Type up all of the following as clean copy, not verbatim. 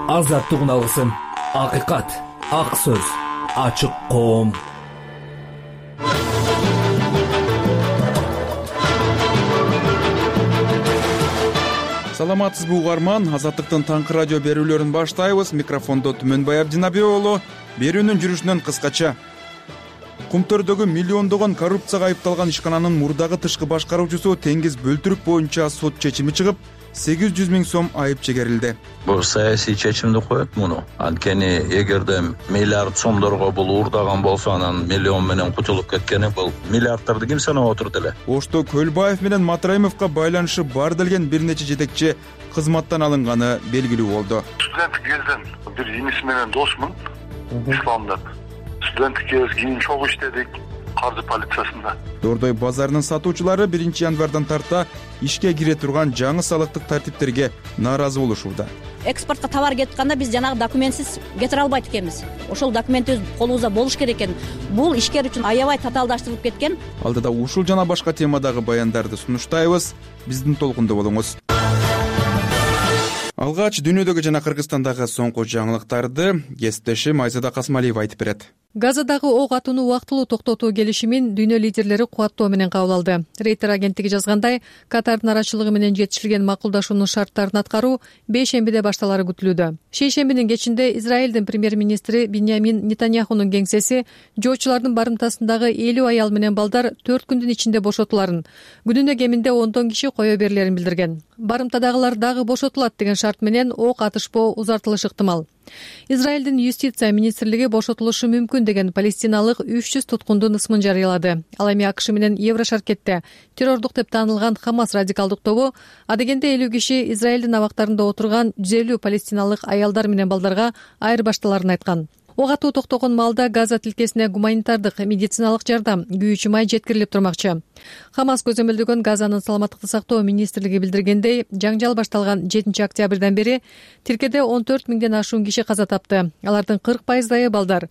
азаттыгын алгысың. Акыйкат, ак сөз, ачык коом. Саламатсызбы угарман, Азаттыктын таңкы радио берүүлөрүн баштайбыз. Микрофондо Түмөнбай Абдинабек уулу. Берүүнүн жүрүшүнөн кыскача. Кумтөрдөгү миллиондогон коррупцияга айыпталган ишкананын мурдагы тышкы башкаруучусу теңиз бөлтүрүк боюнча сот чечими чыгып, 800 000 сом айып чегерилди. Бул саясий чечимди коет муну. Анткени эгерде миллиард сомдорго бул уурдаган болсо, анан миллион менен кутулуп кеткени, бул миллиардтарды ким санап отурду эле? Ошто Көлбаев менен Матраимовго байланышы бар делген бир нече жетекчи кызматтан алынганы белгилүү болду. Студенттик кезден бир иниси менен досмун, Ислам деп. Студенттик кез кийин чогуу иштедик каржы полициясында. Дордой базарынын сатуучулары 1 январдан тарта ишке кире турган жаңы салыктык тартиптерге нааразы болушууда. Экспортко товар кетип атканда биз жанагы документсиз кетире албайт экенбиз. Ошол документибиз колубузда болуш керек экен. Бул ишкер үчүн аябай татаалдаштырылып кеткен. Алдыда ушул жана башка темадагы баяндарды сунуштайбыз. Биздин толкунда болуңуз. Алгач дүйнөдөгү жана Кыргызстандагы соңку жаңылыктарды кесиптешим Айзада Касмалиева айтып берет. Газадагы ок атууну убактылуу токтотуу келишимин дүйнө лидерлери кубаттоо менен кабыл алды. Рейтер агенттиги жазгандай, Катардын арачылыгы менен жетишилген макулдашуунун шарттарын аткаруу бейшембиде башталары күтүлүүдө. Шейшембинин кечинде Израилдин премьер-министри Биньямин Нетаньяхунун кеңсеси жоочулардын барымтасындагы 50 аял менен балдар 4 күндүн ичинде бошотуларын, күнүнө кеминде 10 киши кое берилерин билдирген. Барымтадагылар дагы бошотулат деген шарт менен ок атышпоо узартылышы ыктымал. Израилдин юстиция министрлиги бошотулушу мүмкүн деген палестиналык 300 туткундун ысмын жарыялады. Ал эми АКШ менен Еврошаркетте террордук деп таанылган Хамас радикалдык тобу адегенде 50 киши Израилдин абактарында отурган 150 палестиналык аялдар менен балдарга айырбашталарын айткан. Ок атуу токтогон маалда Газа тилкесине гуманитардык медициналык жардам, күйүүчү май жеткирилип турмакчы. Хамас көзөмөлдөгөн Газанын саламаттыкты сактоо министрлиги билдиргендей, жаңжал башталган 7 октябрдан бери тилкеде 14 000ден ашуун киши каза тапты. Алардын 40%-ы балдар.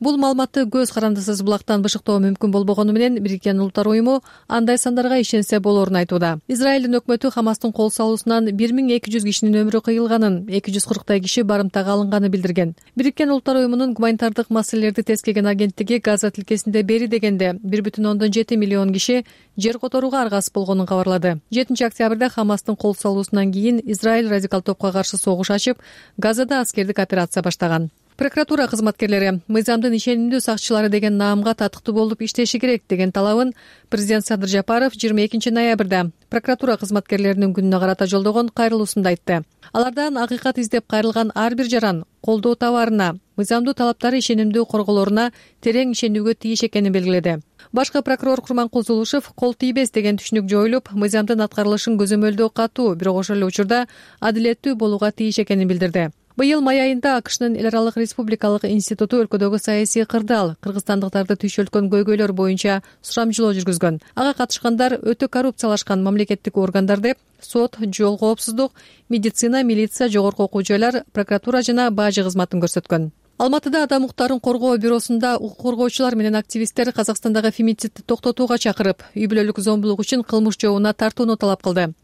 Бул маалыматты көз карандысыз булактан бышыктоо мүмкүн болбогону менен Бириккен Улуттар Уюму андай сандарга ишенсе болорун айтууда. Израилдин өкмөтү Хамастын кол салуусунан 1200 кишинин өмүрү кыйылганын, 240 киши барымтага алынганы билдирген. Бириккен Улуттар Уюмунун гуманитардык маселелерди тескеген агенттиги Газа тилкесинде бери дегенде 1,7 миллион киши жер которууга аргасыз болгонун кабарлады. 7 октябрда Хамастын кол салуусунан кийин Израиль радикал топко каршы согуш ачып, Газада аскердик операция баштаган. Прокуратура кызматкерлери мыйзамдын ишенимдүү сакчылары деген наамга татыктуу болуп иштеши керек деген талабын президент Садыр Жапаров 22 ноябрда прокуратура кызматкерлеринин күнүнө карата жолдогон кайрылуусунда айтты. Алардан акыйкат издеп кайрылган ар бир жаран колдоо табарына, мыйзамдуу талаптары ишенимдүү корголоруна терең ишенүүгө тийиш экенин белгиледи. Башкы прокурор Курманкул Зулушев кол тийбес деген түшүнүк жоюлуп, мыйзамдын аткарылышын көзөмөлдөө катуу, бирок ошол эле учурда адилеттүү болууга тийиш экенин билдирди. Быйыл май айында АКШнын эл аралык республикалык институту өлкөдөгү саясий кырдаал, кыргызстандыктарды түйшөлткөн көйгөйлөр боюнча сурамжылоо жүргүзгөн. Ага катышкандар өтө коррупциялашкан мамлекеттик органдар деп сот, жол коопсуздук, медицина, милиция, жогорку окуу жайлар, прокуратура жана бажы кызматын көрсөткөн. Алматыда Адам укуктарын коргоо бюросунда укук коргоочулар менен активисттер Казакстандагы фемицидти токтотууга чакырып, үй бүлөлүк зомбулук үчүн кылмыш жообуна тартууну талап кылды.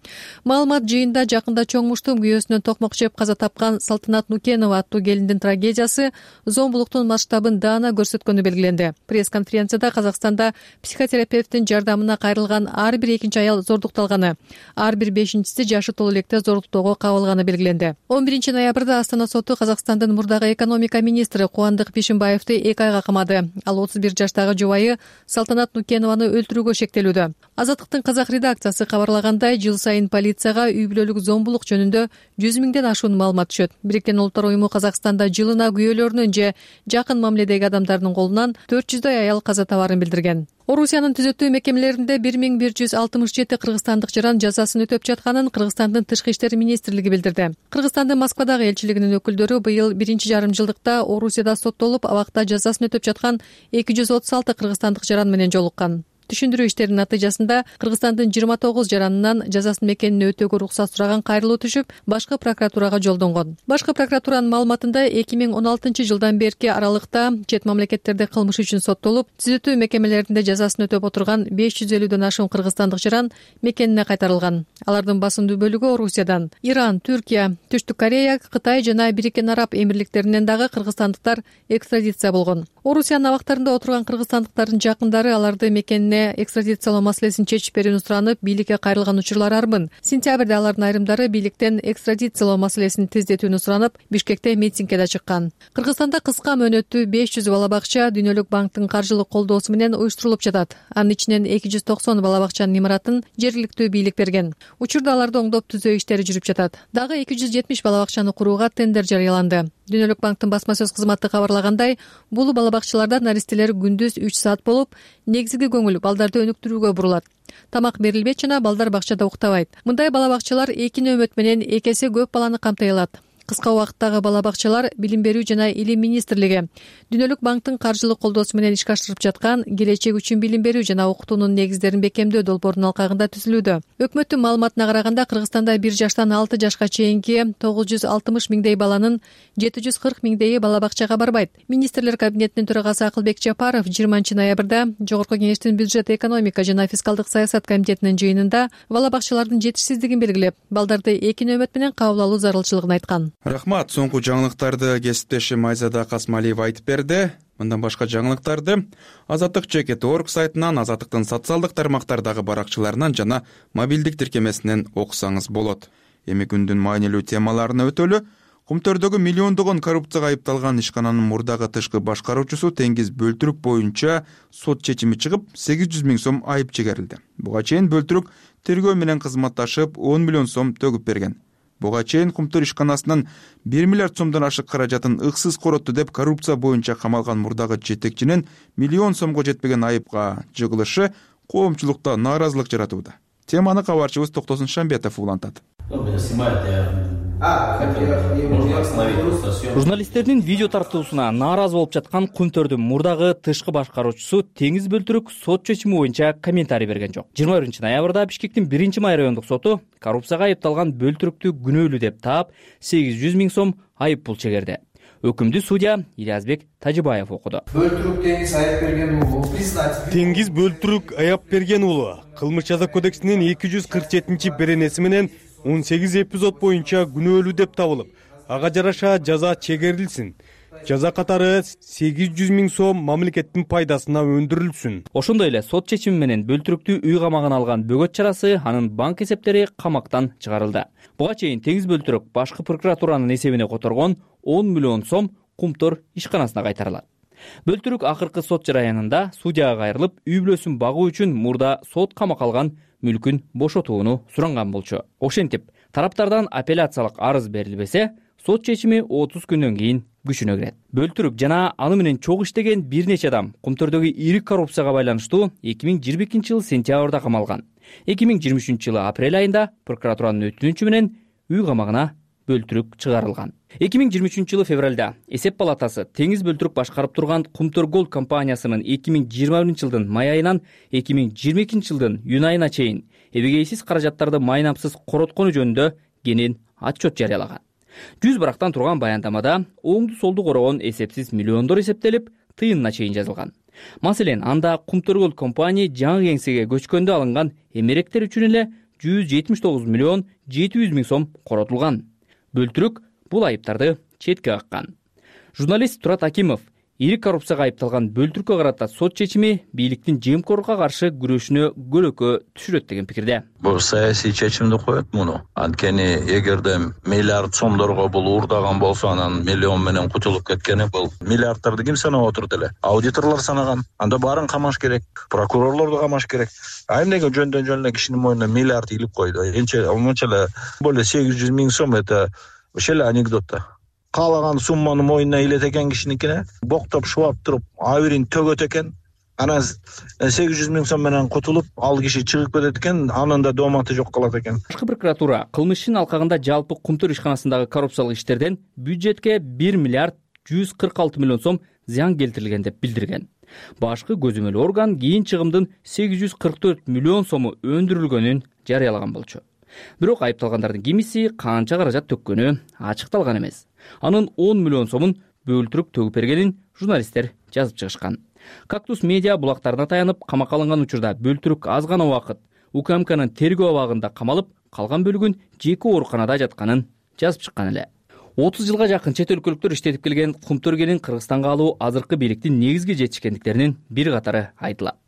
Маалымат жыйында жакында чоңмуштун күйөөсүнөн токмок жеп каза тапкан Салтанат Нукенова аттуу келиндин трагедиясы зомбулуктун масштабын даана көрсөткөнү белгиленди. Пресс-конференцияда Казакстанда психотерапевттин жардамына кайрылган ар бир экинчи аял зордукталганы, ар бир бешинчиси жашы толо электе зордуктоого кабылганы белгиленди. 11 ноябрда Астана соту Казакстандын мурдагы экономика министри Кубандык Бишимбаевди 2 айга камады. Ал 31 жаштагы жубайы Салтанат Нукенованы өлтүрүүгө шектелүүдө. Азаттыктын казак редакциясы кабарлагандай, жыл сайын полицияга үй бүлөлүк зомбулук жөнүндө 100 000ден ашуун маалымат түшөт. Бириккен Улуттар Уюму Казакстанда жылына күйөөлөрүнүн же жакын мамиледеги адамдардын колунан 400 аял каза табарын билдирген. Орусиянын түзөтүү мекемелеринде 1167 кыргызстандык жаран жазасын өтөп жатканын Кыргызстандын тышкы иштер министрлиги билдирди. Кыргызстандын Москвадагы элчилигинин өкүлдөрү быйыл 1,5 жылдыкта Орусияда соттолуп, абакта жазасын өтөп жаткан 236 кыргызстандык жаран менен жолуккан. Түшүндүрүү иштеринин натыйжасында Кыргызстандын 29 жаранынан жазасын мекенине өтөөгө уруксат сураган кайрылуу түшүп, башкы прокуратурага жолдонгон. Башкы прокуратуранын маалыматында 2016 жылдан берки аралыкта чет мамлекеттерде кылмыш үчүн соттолуп, түзөтүү мекемелеринде жазасын өтөп отурган 550дөн ашуун кыргызстандык жаран мекенине кайтарылган. Алардын басымдуу бөлүгү Орусиядан. Иран, Түркия, Түштүк Корея, Кытай жана Бириккен Араб Эмирликтеринен дагы кыргызстандыктар экстрадиция болгон. Орусиянын абактарында отурган кыргызстандыктардын жакындары аларды мекенине экстрадициялоо маселесин чечип берүүнү суранып, бийликке кайрылган учурлар арбын. Сентябрда алардын айрымдары бийликтен экстрадициялоо маселесин тездетүүнү суранып, Бишкекте митингге чыккан. Кыргызстанда кыска мөөнөттүү 500 бала бакча Дүйнөлүк банктын каржылык колдоосу менен уюштурулуп жатат. Анын ичинен 290 бала бакчанын имаратын жергиликтүү бийлик берген. Учурда аларды оңдоп түзөө иштери жүрүп жатат. Дагы 270 бала бакчаны курууга тендер жарыяланды. Дүйнөлүк банктын басма сөз кызматы кабарлагандай, бул бала бакчаларда наристелер күндүз 3 саат болуп, негизги көңүл балдарды өнүктүрүүгө бурулат. Тамак берилбейт жана балдар бакчада уктабайт. Мындай бала бакчалар 2 нөөмөт менен 2 эсе көп баланы камтай алат. Кыска убакыттагы бала бакчалар Билим берүү жана Илим министрлиги Дүйнөлүк банктын каржылык колдоосу менен ишке ашырып жаткан келечек үчүн билим берүү жана окутуунун негиздерин бекемдөө долбоорунун алкагында түзүлүүдө. Өкмөттүн маалыматына караганда, Кыргызстанда 1 жаштан 6 жашка чейинки 960 миңдей баланын 740 миңдейи бала бакчага барбайт. Министрлер кабинетинин төрагасы Акылбек Жапаров 20 ноябрда Жогорку кеңештин бюджет, экономика жана фискалдык саясат комитетинин жыйынында бала бакчалардын жетишсиздигин белгилеп, балдарды 2 нөөмөт менен кабыл алуу зарылчылыгын айткан. Рахмат. Соңку жаңылыктарды кесиптешим Айзада Касмалиева айтып берди. Мындан башка жаңылыктарды Азаттык.org сайтынан, Азаттыктын социалдык тармактардагы баракчаларынан жана мобилдик тиркемесинен окусаңыз болот. Эми күндүн маанилүү темаларына өтөлү. Кумтөрдөгү миллиондогон коррупцияга айыпталган ишкананын мурдагы тышкы башкаруучусу Теңиз Бөлтүрүк боюнча сот чечими чыгып, 800 миң сом айып чегерилди. Буга чейин Бөлтүрүк тергөө менен кызматташып 10 миллион сом төгүп берген. Буга чейин Кумтөр ишканасынын 1 миллиард сомдон ашык каражатын ыксыз коротту деп коррупция боюнча камалган мурдагы жетекчинин миллион сомго жетпеген айыпка жыгылышы коомчулукта нааразылык жаратууда. Теманы кабарчыбыз Токтосун Шамбетов улантат. Журналисттердин видео тартуусуна нааразы болуп жаткан Кумтөрдүн мурдагы тышкы башкаруучусу Теңиз Бөлтүрүк сот чечими боюнча комментарий берген жок. 21 ноябрда Бишкектин 1-май райондук соту коррупцияга айыпталган Бөлтүрүктү күнөөлүү деп таап 800 миң сом айып пул чегерди. Өкүмдү судья Илязбек Тажибаев окуду. Бөлтүрүк Теңиз айып берген уулу Теңиз Бөлтүрүк аяп берген уулу Кылмыш жаза кодексинин 247-беренеси менен 18 эпизод боюнча күнөөлүү деп табылып, ага жараша жаза чегерилсин. Жаза катары 800 миң сом мамлекеттин пайдасына өндүрүлсүн. Ошондой эле сот чечими менен Бөлтүрүктү үй камагына алган бөгөт чарасы, анын банк эсептери камактан чыгарылды. Буга чейин Теңиз Бөлтүрүк башкы прокуратуранын эсебине которгон 10 миллион сом Кумтөр ишканасына кайтарылат. Бөлтүрүк акыркы сот жараянында судьяга кайрылып, үй бүлөсүн багуу үчүн мурда сот камакка алган мүлкүн бошотууну суранган болчу. Ошентип, тараптардан апелляциялык арыз берилбесе, сот чечими 30 күндөн кийин күчүнө кирет. Бөлтүрүк жана аны менен чогуу иштеген бир нече адам Кумтөрдөгү ири коррупцияга байланыштуу 2022 жылы сентябрда камалган. 2023 жылы апрель айында прокуратуранын өтүнүчү менен үй камагына Бөлтүрүк чыгарылган. 2023 жылы февралда Эсеп палатасы Теңиз Бөлтүрүк башкарып турган Кумтөр Голд компаниясынын 2021 жылдын май айынан 2022 жылдын июнь айына чейин эбегейсиз каражаттарды майнапсыз короткону жөнүндө кенен отчет жарыялаган. 100 барактан турган баяндамада оңду солду корогон эсепсиз миллиондор эсептелип, тыйынына чейин жазылган. Маселен, анда Кумтөр Голд компания жаңы кеңсеге көчкөндө алынган эмеректер үчүн эле 179 миллион 700 миң сом коротулган. Бөлтүрүк бул айыптарды четке каккан. Журналист Турат Акимов ири коррупцияга айыпталган Бөлтүрүккө карата сот чечими бийликтин жемкорлукка каршы күрөшүнө көлөкө түшүрөт деген пикирде. Бул саясий чечимди коет муну. Анткени эгерде миллиард сомдорго бул уурдаган болсо, анан миллион менен кутулуп кеткени, бул миллиардтарды ким санап отурат эле? Аудиторлор санаган. Анда баарын камаш керек, прокурорлорду камаш керек. А эмнеге жөндөн эле кишинин мойнуна миллиард илип койду? Монча эле более 800 миң сом, это ошол эле анекдот да. Каалаган сумманы мойнуна илет экен кишиникине, боктоп шубап туруп, абирин төгөт экен. Анан 800 миң сом менен кутулуп, ал киши чыгып кетет экен, анын да дооматы жок калат экен. Башкы прокуратура кылмыш ишинин алкагында жалпы Кумтөр ишканасындагы коррупциялык иштерден бюджетке 1 миллиард 146 миллион сом зыян келтирилген деп билдирген. Башкы көзөмөл орган кийин чыгымдын 844 миллион сому өндүрүлгөнүн жарыялаган болчу. Бирок айыпталгандардын кимиси канча каражат төккөнү ачыкталган эмес. Анын 10 миллион сомун бөлтүрүп төгүп бергенин журналисттер жазып чыгышкан. Кактус медиа булактарына таянып камакка алынган учурда бөлтүрүк аз гана убакыт УКМКнын тергөө абагында камалып, калган бөлүгүн жеке ооруканада жатканын жазып чыккан эле. 30 жылга жакын чет өлкөлүктөр иштетип келген Кумтөргенин Кыргызстанга алуу азыркы бийликтин негизги жетишкендиктеринин бир катары айтылат.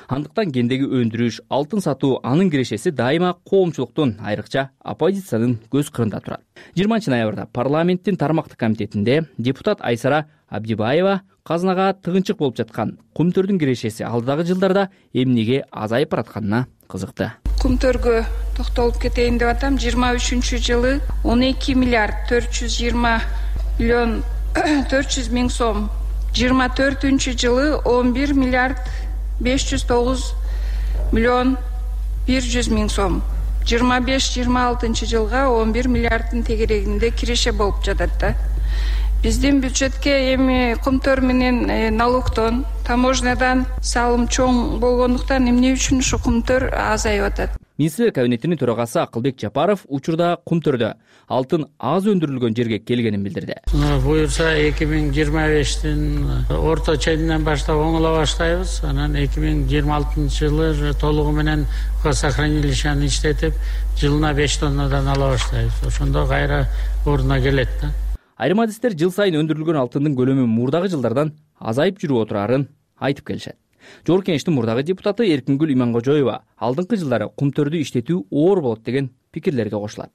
Андыктан кендеги өндүрүш, алтын сатуу анын кирешеси дайыма коомчулуктун, айрыкча оппозициянын көз кырында турат. 20 ноябрда парламенттин тармактык комитетинде депутат Айсара Абдибаева казынага тыгынчык болуп жаткан Кумтөрдүн кирешеси алдыдагы жылдарда эмнеге азайып баратканына кызыкты. Кумтөргө токтолуп кетейин деп атам. 23-жылы 12 миллиард 420 миллион 400 миң сом, 24-жылы 11 миллиард 509 миллион 100 миң сом, 25-26 жылга 11 миллиарддын тегерегинде киреше болуп жатат да. Биздин бюджетке эми Кумтөр менен налогдон, таможнядан салым чоң болгондуктан эмне үчүн ушу Кумтөр азайып атат. Министрлер кабинетинин төрагасы Акылбек Жапаров учурда Кумтөрдө алтын аз өндүрүлгөн жерге келгенин билдирди. Буюрса 2025-тин орто ченинен баштап оңоло баштайбыз. Анан 2026-жылы толугу менен сохранилищени иштетип, жылына 5 тоннадан ала баштайбыз. Ошондо кайра ордуна келет да. Айрым адистер жыл сайын өндүрүлгөн алтындын көлөмү мурдагы жылдардан азайып жүрүп отурарын айтып келишет. Жогорку Кеңештин мурдагы депутаты Эркингүл Имангожоева алдыңкы жылдары Кумтөрдү иштетүү оор болот деген пикирлерге кошулат.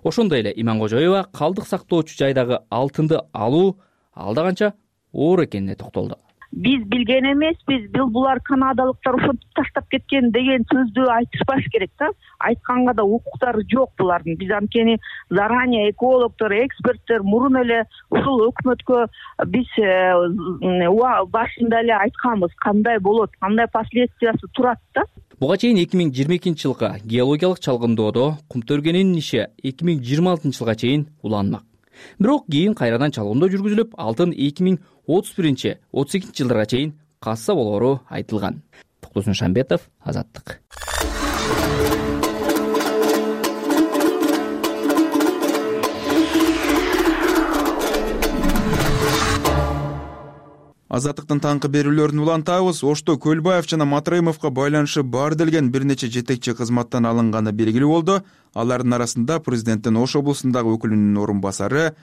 Ошондой эле Имангожоева калдык сактоочу жайдагы алтынды алуу алда канча оор экенине токтолду. Биз билген эмеспиз, булар канадалыктар ошентип таштап кеткен деген сөздү айтышпаш керек да. Айтканга да укуктары жок булардын. Биз анткени заранее экологдор, эксперттер мурун эле ушул өкмөткө биз башында эле айтканбыз, кандай болот, кандай последствиясы турат да. Буга чейин 2022-жылкы геологиялык чалгындоодо Кумтөргенин иши 2026-жылга чейин уланмак. Бирок кийин кайрадан чалгындоо жүргүзүлүп, алтын 2031-32 жылдарга чейин касса болоору айтылган. Токтосун Шамбетов, Азаттык. Азаттыктын таңкы берүүлөрүн улантабыз. Ошто Көлбаев жана Матраимовго байланышы бар делген бир нече жетекчи кызматтан алынганы белгилүү болду. Алардын арасында президенттин Ош облусундагы өкүлүнүн орун басары,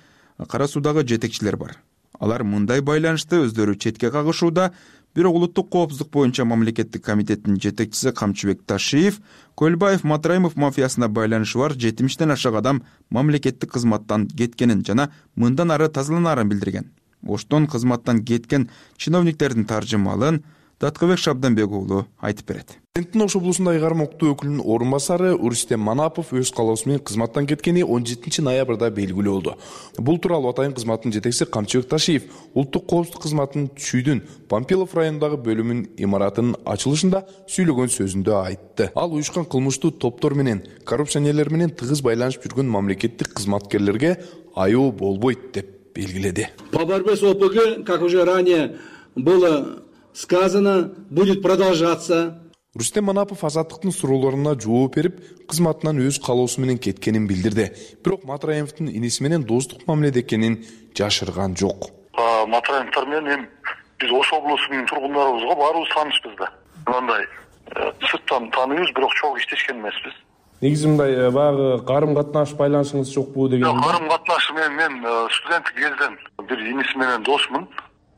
Кара Суудагы жетекчилер бар. Алар мындай байланышты өздөрү четке кагышууда. Бирок улуттук коопсуздук боюнча мамлекеттик комитеттин жетекчиси Камчыбек Ташиев Көлбаев Матраимов мафиясына байланышы бар 70ден ашык адам мамлекеттик кызматтан кеткенин жана мындан ары тазаланарын билдирген. Оштон кызматтан кеткен чиновниктердин таржымалын Даткыбек Шабданбек уулу айтып берет. Президенттин Ош облусундагы кармоктуу өкүлүнүн орун басары Рустем Манапов өз калоосу менен кызматтан кеткени 17 ноябрда белгилүү болду. Бул тууралуу атайын кызматтын жетекчиси Камчыбек Ташиев улуттук коопсуздук кызматынын Чүйдүн Пампилов районундагы бөлүмүнүн имаратынын ачылышында сүйлөгөн сөзүндө айтты. Ал уюшкан кылмыштуу топтор менен, коррупционерлер менен тыгыз байланышып жүргөн мамлекеттик кызматкерлерге аюу болбойт деп белгиледи. По борьбе с ОПГ, как уже ранее было сказано, будет продолжаться. Рустем Манапов Азаттыктын суроолоруна жооп берип, кызматынан өз калоосу менен кеткенин билдирди. Бирок Матраимовдун иниси менен достук мамиледе экенин жашырган жок. Матраимовдор менен биз Ош облусунун тургундарыбызга баарыбыз таанышпыз да. Мындай сырттан тааныйбыз, бирок чогуу иштешкен эмеспиз. Негизи мындай баягы карым катнаш байланышыңыз жокпу деген. Карым катнашы мен студенттик кезден бир иниси менен досмун.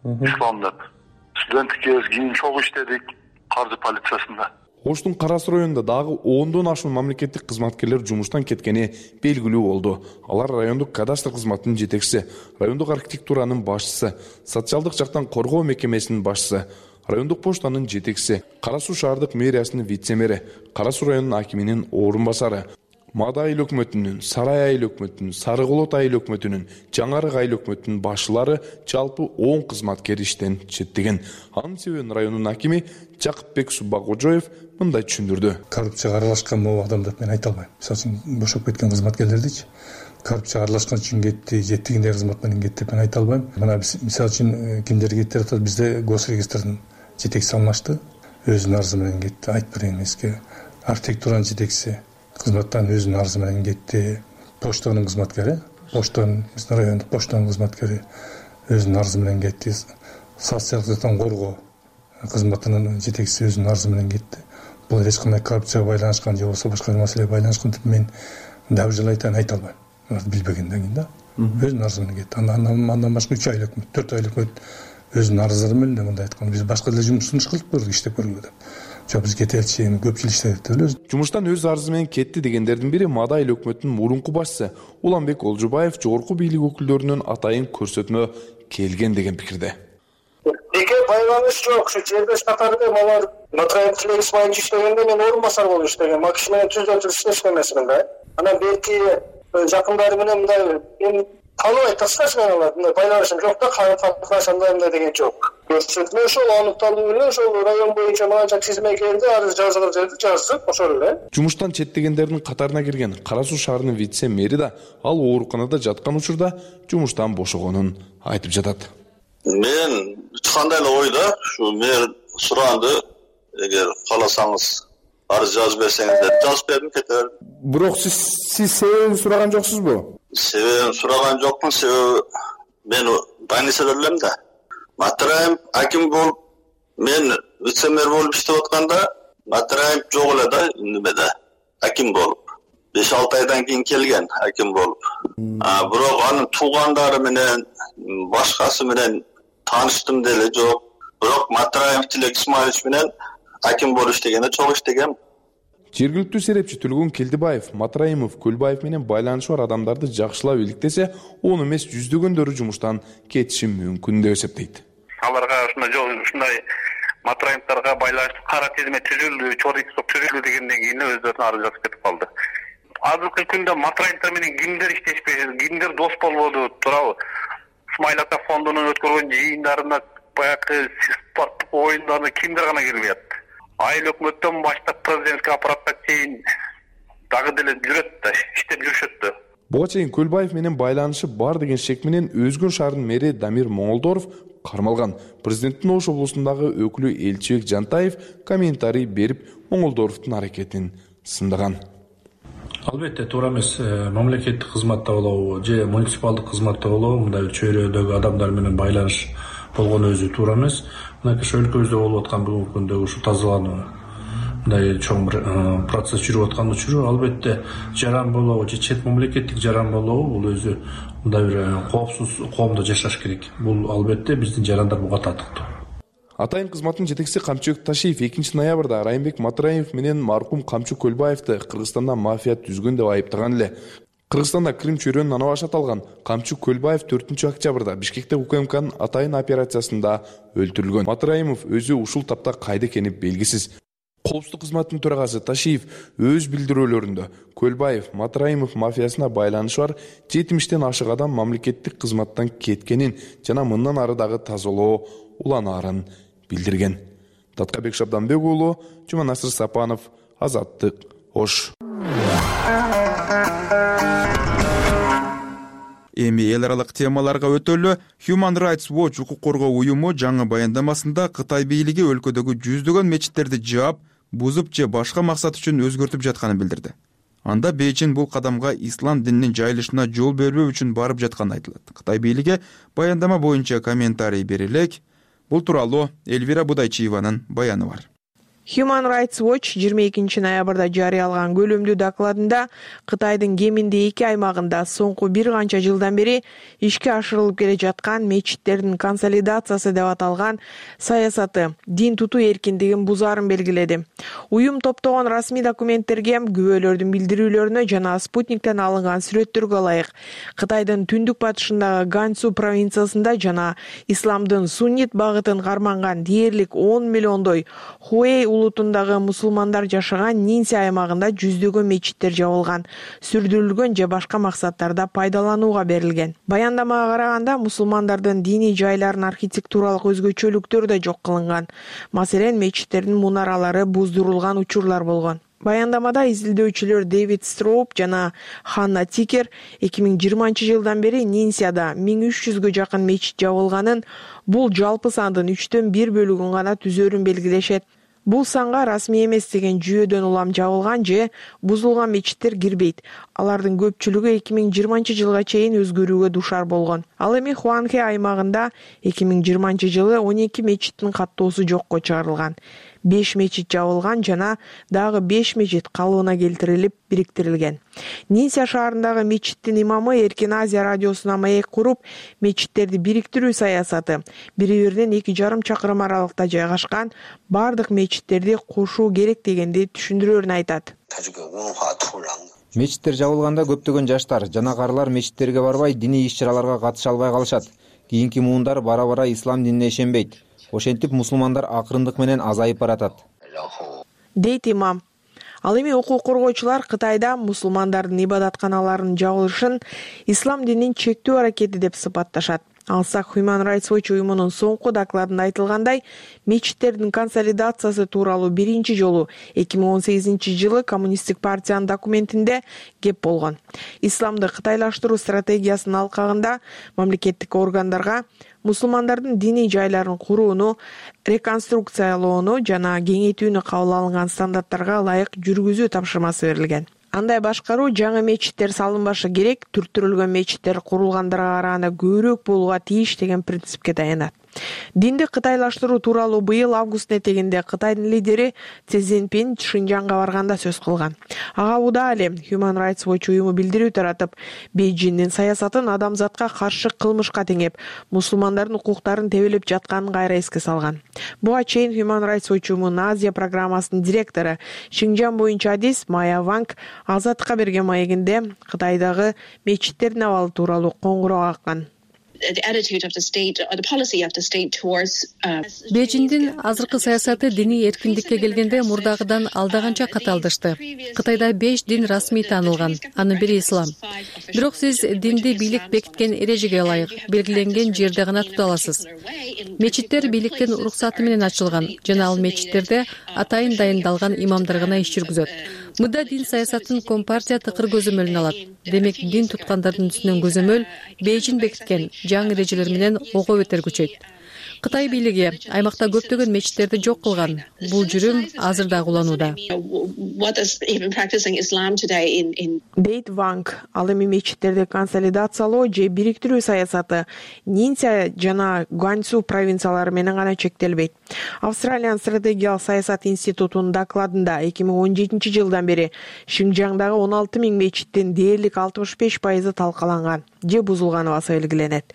Ислам деп. Студенттик кез кийин чогуу иштедик каржы полициясында. Оштун Кара Суу районунда дагы 10дон ашуун мамлекеттик кызматкерлер жумуштан кеткени белгилүү болду. Алар райондук кадастр кызматынын жетекчиси, райондук архитектуранын башчысы, социалдык жактан коргоо мекемесинин башчысы, райондук поштанын жетекчиси, Кара Суу шаардык мэриясынын вице-мэри, Кара Суу районунун акиминин орун басары, Мада айыл өкмөтүнүн, Сарай айыл өкмөтүнүн, Сары Колот айыл өкмөтүнүн, Жаңарык айыл өкмөтүнүн башчылары жалпы 10 кызматкер иштен четтеген. Анын себебин районунун акими Жакыпбек Суббакожоев мындай түшүндүрдү. Коррупцияга аралашкан могу адамдар мен айта албайм. Мисалы үчүн бошоп кеткен кызматкерлердичи коррупцияга аралашкан үчүн кетти, жеттигиндей кызмат менен кетти деп мен айта албайм. Мына мисалы үчүн кимдер кетти деп атат, бизде госрегистрдин жетекчиси алмашты. Өзүнүн арызы менен кетти. Айтберген эмеске. Архитектуранын жетекчиси кызматтан өзүнүн арызы менен кетти. Почтанын кызматкери, биздин райондук почтанын кызматкери өзүнүн арызы менен кетти. Социалдыктан коргоо кызматынын жетекчиси өзүнүн арызы менен кетти. Бул эч кандай коррупцияга байланышкан же болбосо башка маселеге байланышкан деп мен дагы жылы айта албайм. Билбегенден кийин да өзүнүн арызы менен кетти. Андан башка 3 айлык, 4 айлык өзүнүн арыздары менен мындай айтканда биз башка деле жумушун кылып көрдүк, иштеп көрдүк деп. Жок, биз кетеличи, эми көп жыл иштедик деп элебиз. Жумуштан өз арызы менен кетти дегендердин бири Мадай эл өкмөтүнүн мурунку башчысы Уланбек Олжубаев жогорку бийлик өкүлдөрүнүн атайын көрсөтмө келген деген пикирде. Эке байланыш жок. Ушу жердеш катары малар Матраев Тилек Исмаилович иштегенде мен орун басар болуп иштеген. Макиш менен түздө иштешкен эмесмин да. Анан берки жакындары менен мындай мен тааныбай ташташман алат. Мындай байланышым жок да, катнашамдай мындай деген жок. Көрсөтмө ошол аныкталуу эле ошол район боюнча мынанча тизме келди, арыз жазылып жаздык, ошол эле. Жумуштан четтегендердин катарына кирген Кара Суу шаарынын вице-мэри да ал ооруканада жаткан учурда жумуштан бошогонун айтып жатат. Мен кандай эле ойда ушу мэр суранды, эгер кааласаңыз арыз жазып берсеңиз деп жазып бердим, кете бердим. Бирок сиз себебин сураган жоксузбу? Себебин сураган жокмун, себеби мен больницада элем да. Матраев аким болуп, мен вице-мэр болуп иштеп атканда Матраев жок эле да, немеде аким болуп. 5-6 айдан кийин келген аким болуп. Бирок анын туугандары менен башкасы менен тааныштым деле жок. Бирок Матраев Тилек Исмаилович менен аким болуп иштегенде чогуу иштегем. Жергиликтүү серепчи Түлгүн Келдибаев Матраимов Көлбаев менен байланышы бар адамдарды жакшылап иликтесе, он эмес жүздөгөндөрү жумуштан кетиши мүмкүн деп эсептейт. Аларга ушундай Матраимовдорго байланыштуу кара тизме түзүлдү, чогуу түзүлдү дегенден кийин өздөрүнүн арыз жазып кетип калды. Азыркы күндө Матраимовдор менен кимдер иштешпейт, кимдер дос болбоду, туурабы? Исмаил ата фондунун өткөргөн жыйындарына, баягы спорттук оюндарына кимдер гана кирбейт? Айыл өкмөттөн баштап президентский аппараттан чейин дагы деле жүрөт да, иштеп жүрүшөт да. Буга чейин Көлбаев менен байланышы бар деген шек менен Өзгөн шаарынын мэри Дамир Моңолдоров кармалган. Президенттин Ош облусундагы өкүлү Элчибек Жантаев комментарий берип, Моңолдоровдун аракетин сындаган. Албетте туура эмес, мамлекеттик кызматта болобу же муниципалдык кызматта болобу мындай чөйрөдөгү адамдар менен байланыш болгону өзү туура эмес. Мына ошо өлкөбүздө болуп аткан бүгүнкү күндөгү ушу тазалануу мындай чоң бир процесс жүрүп аткан учуру албетте жаран болобу же чет мамлекеттик жаран болобу бул өзү мындай бир коопсуз коомдо жашаш керек. Бул албетте биздин жарандар буга татыктуу. Атайын кызматтын жетекчиси Камчыбек Ташиев 2 ноябрда Райымбек Матраев менен маркум Камчы Көлбаевди Кыргызстанда мафия түзгөн деп айыптаган эле. Кыргызстанда Крым чөйрөнүн ана башы аталган Камчы Көлбаев 4-октябрда Бишкекте УКМКнын атайын операциясында өлтүрүлгөн. Матраимов өзү ушул тапта кайда экени белгисиз. Коопсуздук кызматынын төрагасы Ташиев өз билдирүүлөрүндө Көлбаев Матраимов мафиясына байланышы бар 70-тен ашык адам мамлекеттик кызматтан кеткенин жана мындан ары дагы тазалоо уланаарын билдирген. Таткабек Шабданбек уулу, Жуманасыр Сапанов, Азаттык, Ош. Эми эл аралык темаларга өтөлү. Human Rights Watch укук коргоо уюму жаңы баяндамасында Кытай бийлиги өлкөдөгү жүздөгөн мечиттерди жаап, бузуп же башка максат үчүн өзгөртүп жатканын билдирди. Анда Бейжин бул кадамга ислам дининин жайылышына жол бербөө үчүн барып жатканы айтылат. Кытай бийлиги баяндама боюнча комментарий бере элек. Бул тууралуу Эльвира Будайчиеванын баяны бар. Human Rights Watch 22 ноябрда жарыялаган көлөмдүү докладында Кытайдын кеминде 2 аймагында соңку бир канча жылдан бери ишке ашырылып келе жаткан мечиттердин консолидациясы деп аталган саясаты дин тутуу эркиндигин бузаарын белгиледи. Уюм топтогон расмий документтерге, күбөлөрдүн билдирүүлөрүнө жана спутниктен алынган сүрөттөргө ылайык Кытайдын түндүк батышындагы Ганьсу провинциясында жана исламдын суннит багытын карманган дээрлик 10 миллиондой Хуэй улутундагы мусулмандар жашаган Нинси аймагында жүздөгөн мечиттер жабылган, сүрдүрүлгөн же башка максаттарда пайдаланууга берилген. Баяндамага караганда мусулмандардын диний жайларын архитектуралык өзгөчөлүктөр да жок кылынган. Маселен, мечиттердин мунаралары буздурулган учурлар болгон. Баяндамада изилдөөчүлөр Дэвид Строуп жана Ханна Тикер 2020-жылдан бери Нинсияда 1300гө жакын мечит жабылганын, бул жалпы сандын 1/3 бөлүгүн гана түзөрүн белгилешет. Бул санга расмий эмес деген жүйөдөн улам жабылган же бузулган мечиттер кирбейт. Алардын көпчүлүгү 2020-жылга чейин өзгөрүүгө душар болгон. Ал эми Хуанхэ аймагында 2020-жылы 12 мечиттин каттоосу жокко чыгарылган. 5 мечит жабылган жана дагы 5 мечит калыбына келтирилип бириктирилген. Нинсия шаарындагы мечиттин имамы Эркин Азия радиосуна маек куруп, мечиттерди бириктирүү саясаты бири-биринен 2,5 чакырым аралыкта жайгашкан бардык мечиттерди кошуу керек дегенди түшүндүрөөрүн айтат. Мечиттер жабылганда көптөгөн жаштар жана карылар мечиттерге барбай, диний иш-чараларга катыша албай калышат. Кийинки муундар бара-бара ислам динине ишенбейт. Ошентип мусулмандар акырындык менен азайып баратат, дейт имам. Ал эми укук коргоочулар Кытайда мусулмандардын ибадатканаларынын жабылышын ислам динин чектөө аракети деп сыпатташат. Алсак Human Rights Watch уюмунун соңку докладында айтылгандай, мечиттердин консолидациясы тууралуу биринчи жолу 2018-жылы Коммунисттик партиянын документинде кеп болгон. Исламды кытайлаштыруу стратегиясынын алкагында мамлекеттик органдарга мусулмандардын диний жайларын курууну, реконструкциялоону жана кеңейтүүнү кабыл алынган стандарттарга ылайык жүргүзүү тапшырмасы берилген. Андай башкаруу жаңы мечиттер салынбашы керек, түрттүрүлгөн мечиттер курулгандарга караганда көбүрөөк болууга тийиш деген принципке таянат. Динди кытайлаштыруу тууралуу быйыл август этегинде Кытайдын лидери Си Цзиньпин Шинжаңга барганда сөз кылган. Ага убада эле Human Rights Watch уюму билдирүү таратып, Бейжиңдин саясатын адамзатка каршы кылмышка теңеп, мусулмандардын укуктарын тебелеп жатканын кайра эске салган. Буга чейин Human Rights Watch уюмунун Азия программасынын директору Шинжаң боюнча адис Майя Ванг Азаттыкка берген маегинде Кытайдагы мечиттердин абалы тууралуу коңгуроо каккан. Бейжиңдин азыркы саясаты диний эркиндикке келгенде мурдагыдан алдаганча катаалдашты. Кытайда 5 дин расмий таанылган, анын бири ислам. Бирок сиз динди бийлик бекиткен эрежеге ылайык белгиленген жерде гана тута аласыз. Мечиттер бийликтин уруксаты менен ачылган жана ал мечиттерде атайын дайындалган имамдар гана иш жүргүзөт. Мында дин саясатын Компартия тыкыр көзөмөлүнө алат. Демек дин туткандардын үстүнөн көзөмөл Бейжиң бекиткен жаңы эрежелер менен ого бетер күчөйт. Кытай бийлиги аймакта көптөгөн мечиттерди жок кылган. Бул жүрүм азыр да уланууда. Дейт Ванг, ал эми мечиттерди консолидациялоо же бириктирүү саясаты Нинсия жана Гуанцзу провинциялары менен гана чектелбейт. Австралиянын стратегиялык саясат институтунун докладында 2017-жылдан бери Шинжаңдагы 16 000 мечиттин дээрлик 65% талкаланган же бузулганы баса белгиленет.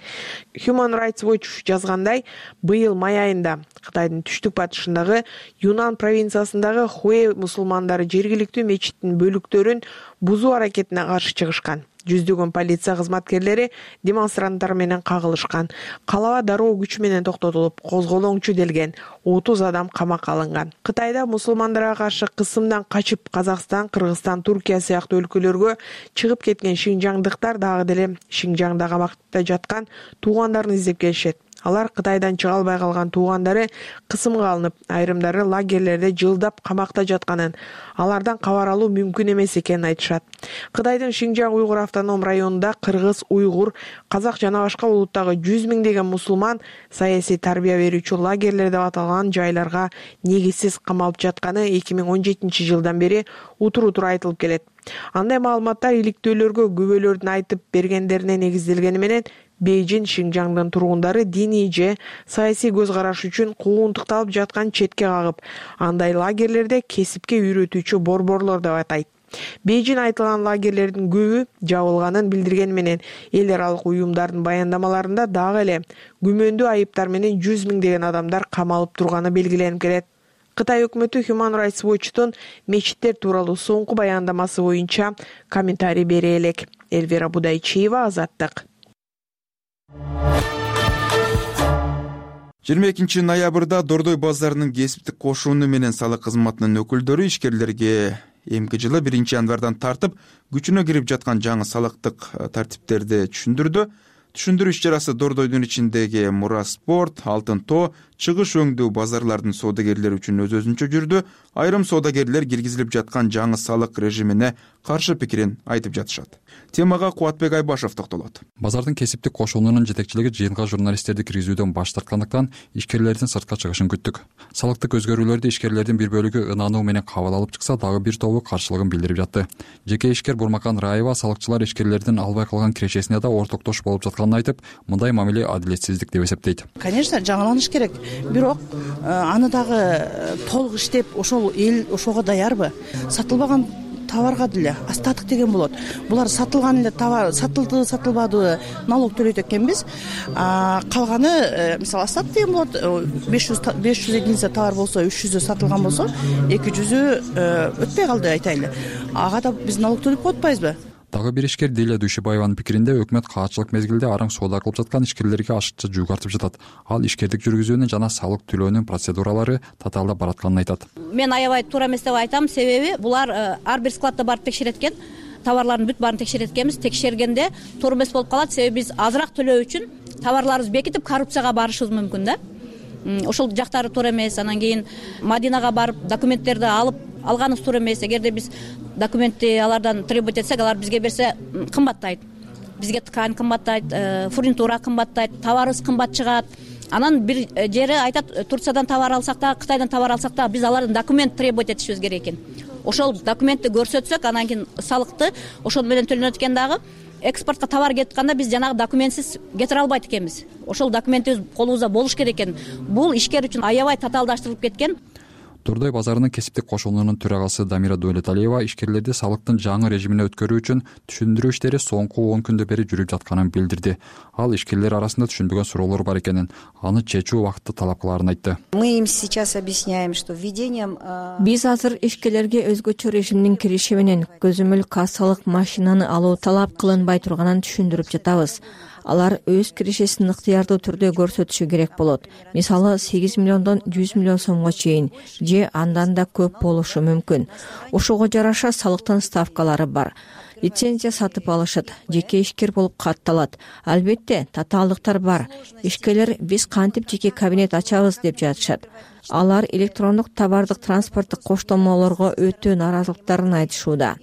Human Rights Watch жазгандай, быйыл май айында Кытайдын түштүк батышындагы Юнан провинциясындагы Хуэ мусулмандары жергиликтүү мечиттин бөлүктөрүн бузуу аракетине каршы чыгышкан. Жүздөгөн полиция кызматкерлери демонстранттар менен кагылышкан. Калаба дароо күч менен токтотулуп, козголоңчу делген 30 адам камакка алынган. Кытайда мусулмандарга каршы кысымдан качып Казакстан, Кыргызстан, Туркия сыяктуу өлкөлөргө чыгып кеткен шинжаңдыктар дагы деле Шинжаңда камакта жаткан туугандарын издеп келишет. Алар Кытайдан чыга албай калган туугандары кысымга алынып, айрымдары лагерлерде жылдап камакта жатканын, алардан кабар алуу мүмкүн эмес экенин айтышат. Кытайдын Шинжаң уйгур автоном районунда кыргыз, уйгур, казак жана башка улуттагы 100 миңдеген мусулман саясий тарбия берүүчү лагерлер деп аталган жайларга негизсиз камалып жатканы 2017-жылдан бери утур-утур айтылып келет. Андай маалыматтар иликтөөлөргө күбөлөрдүн айтып бергендерине негизделгени менен Бейжиң Шинжаңдын тургундары диний же саясий көз караш үчүн куугунтукталып жаткан четке кагып, андай лагерлерде кесипке үйрөтүүчү борборлор деп атайт. Бейжиң айтылган лагерлердин көбү жабылганын билдирген менен эл аралык уюмдардын баяндамаларында дагы эле күмөндүү айыптар менен 100 миңдеген адамдар камалып турганы белгиленип келет. Кытай өкмөтү Human Rights Watch'тун мечиттер тууралуу соңку баяндамасы боюнча комментарий бере элек. Эльвира Будайчиева, Азаттык. 22 ноябрда Дордой базарынын кесиптик кошууну менен салык кызматынын өкүлдөрү ишкерлерге эмки жылы 1-январдан тартып күчүнө кирип жаткан жаңы салыктык тартиптерди түшүндүрдү. Түшүндүрүү иш-чарасы Дордойдун ичиндеги Мура Спорт, Алтын Тоо чыгыш өңдүү базарлардын соодагерлери үчүн өз-өзүнчө жүрдү. Айрым соодагерлер киргизилип жаткан жаңы салык режимине каршы пикирин айтып жатышат. Темага Кубатбек Айбашев токтолот. Базардын кесиптик кошуунунун жетекчилиги жыйынга журналисттерди киргизүүдөн баш тарткандыктан ишкерлердин сыртка чыгышын күттүк. Салыктык өзгөрүүлөрдү ишкерлердин бир бөлүгү ынануу менен кабыл алып чыкса, дагы бир тобу каршылыгын билдирип жатты. Жеке ишкер Бурмакан Раева салыкчылар ишкерлердин албай калган кирешесине да ортоктош болуп жатканын айтып, мындай мамиле адилетсиздик деп эсептейт. Конечно, жаңыланыш керек. Бирок аны дагы толук иштеп, ошол эл ошого даярбы? Сатылбаган товарга деле остаток деген болот. Булар сатылган эле товар, сатылды, сатылбады, налог төлөйт экенбиз. Калганы, мисалы, остаток деген болот. 500 единица товар болсо, 300 сатылган болсо, 200 өтпөй калды айтайлы. Ага да биз налог төлөп коюп атпайбызбы? Дагы бир ишкер Диля Дүйшөбаеванын пикиринде өкмөт каатчылык мезгилде араң соода кылып жаткан ишкерлерге ашыкча жүк артып жатат. Ал ишкердик жүргүзүүнүн жана салык төлөөнүн процедуралары татаалдап баратканын айтат. Мен аябай туура эмес деп айтам, себеби булар ар бир складда барып текшерет экен. Товарлардын бүт баарын текшерет экенбиз. Текшергенде туура эмес болуп калат, себеби биз азыраак төлөө үчүн товарларыбызды бекитип коррупцияга барышыбыз мүмкүн да. Ошол жактары туура эмес. Анан кийин Мадинага барып документтерди алганыбыз туура эмес. Эгерде биз документти алардан требовать этсек, алар бизге берсе кымбаттайт. Бизге ткань кымбаттайт, фурнитура кымбаттайт, товарыбыз кымбат чыгат. Анан бир жери айтат, Турциядан товар алсак да, Кытайдан товар алсак да, биз алардан документ требовать этишибиз керек экен. Ошол документти көрсөтсөк, анан кийин салыкты ошол менен төлөнөт экен дагы. Экспортко товар кетип атканда биз жанагы документсиз кетире албайт экенбиз. Ошол документибиз колубузда болуш керек экен. Бул ишкер үчүн аябай татаалдаштырылып кеткен. Турдой базарынын кесиптик кошуунунун төрагасы Дамира Дөлөталиева ишкерлерди салыктын жаңы режимине өткөрүү үчүн түшүндүрүү иштери соңку 10 күндө бери жүрүп жатканын билдирди. Ал ишкерлер арасында түшүнбөгөн суроолор бар экенин, аны чечүү убакытты талап кылаарын айтты. Мы им сейчас объясняем, что введением биз азыр ишкерлерге өзгөчө режимдин кириши менен көзөмөл кассалык машинаны алуу талап кылынбай турганын түшүндүрүп жатабыз. Алар өз кирешесин ыктыярдуу түрдө көрсөтүшү керек болот. Мисалы 8 миллиондон 100 миллион сомго чейин же андан да көп болушу мүмкүн. Ошого жараша салыктын ставкалары бар. Лицензия сатып алышат, жеке ишкер болуп катталат. Албетте, татаалдыктар бар. Ишкерлер биз кантип жеке кабинет ачабыз деп жатышат. Алар электрондук товардык транспорттук коштомолорго өтө нааразылыктарын айтышууда.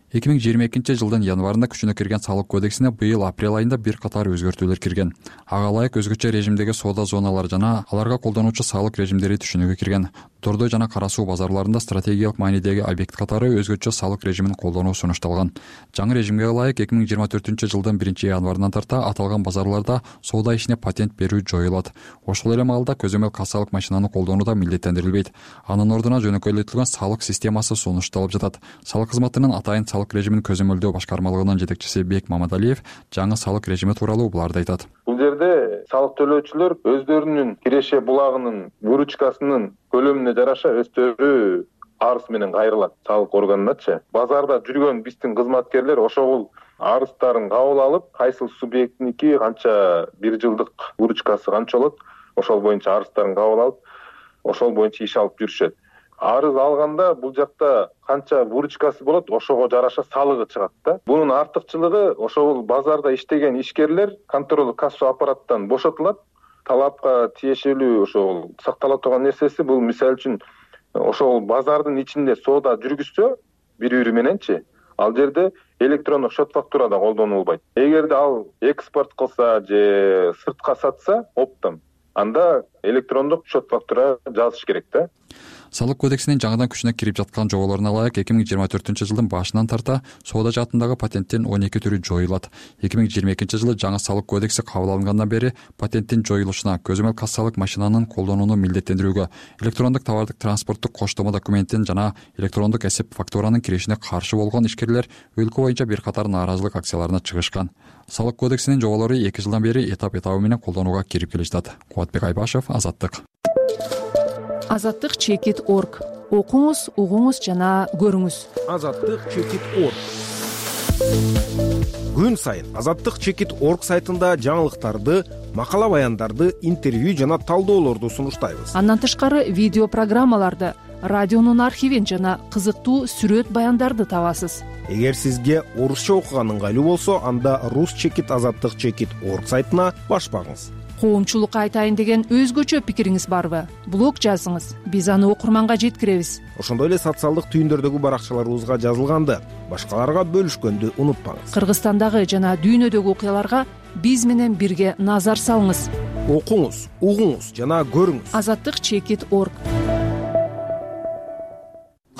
2022 жылдын январында күчүнө кирген салык кодексине быйыл апрель айында бир катар өзгөртүүлөр кирген. Ага ылайык өзгөчө режимдеги соода зоналары жана аларга колдонуучу салык режимдери түшүнүүгө кирген. Тордой жана Кара суу базарларында стратегиялык маанидеги объект катары өзгөчө салык режимин колдонуу сунушталган. Жаңы режимге ылайык 2024 жылдын 1 январынан тарта аталган базарларда соода ишине патент берүү жоюлат. Ошол эле маалда көзөмөл кассалык машинаны колдонуу да милдеттендирилбейт. Анын ордуна жөнөкөйлөтүлгөн салык системасы сунушталып жатат. Салык кызматынын атайын салык режимин көзөмөлдөө башкармалыгынын жетекчиси Бек Мамадалиев жаңы салык режими тууралуу буларды айтат. Бул жерде салык төлөөчүлөр өздөрүнүн киреше булагынын выручкасынын көлөмүнө жараша өздөрү арыз менен кайрылат салык органыначы. Базарда жүргөн биздин кызматкерлер ошол арыздарын кабыл алып, кайсыл субъекттиники канча бир жылдык выручкасы канча болот, ошол боюнча арыздарын кабыл алып, ошол боюнча иш алып жүрүшөт. Арыз алганда бул жакта канча выручкасы болот, ошого жараша салыгы чыгат да. Бунун артыкчылыгы ошол базарда иштеген ишкерлер контролдук кассо аппараттан бошотулат. Талапка тиешелүү ошол сактала турган нерсеси бул мисалы үчүн ошол базардын ичинде соода жүргүзсө бири-бири мененчи, ал жерде электрондук счет фактура да колдонулбайт. Эгерде ал экспорт кылса же сыртка сатса оптом, анда электрондук счет фактура жазыш керек да. Салык кодексинин жаңыдан күчүнө кирип жаткан жоболоруна ылайык 2024 жылдын башынан тарта соода жаатындагы патенттин 12 түрү жоюлат. 2022 жылы жаңы салык кодекси кабыл алынгандан бери патенттин жоюлушуна, көзөмөл кассалык машинанын колдонууну милдеттендирүүгө, электрондук товардык транспорттук коштомо документин жана электрондук эсеп фактуранын киришине каршы болгон ишкерлер өлкө боюнча бир катар нааразылык акцияларына чыгышкан. Салык кодексинин жоболору 2 жылдан бери этап-этабы менен колдонууга кирип келе жатат. Кубатбек Айбашев, Азаттык. Азаттык.org. Окуңуз, угуңуз жана көрүңүз. Азаттык.org. Күн сайын Азаттык.org сайтында жаңылыктарды, макала баяндарды, интервью жана талдоолорду сунуштайбыз. Андан тышкары видео программаларды, радионун архивин жана кызыктуу сүрөт баяндарды табасыз. Эгер сизге орусча окуган ыңгайлуу болсо, анда Rus.Azаттык.org сайтына баш багыңыз. коомчулукка айтайын деген өзгөчө пикириңиз барбы? Блог жазыңыз, биз аны окурманга жеткиребиз. Ошондой эле социалдык түйүндөрдөгү баракчаларыбызга жазылганды башкаларга бөлүшкөндү унутпаңыз. Кыргызстандагы жана дүйнөдөгү окуяларга биз менен бирге назар салыңыз. Окуңуз, угуңуз жана көрүңүз. Azattik.org.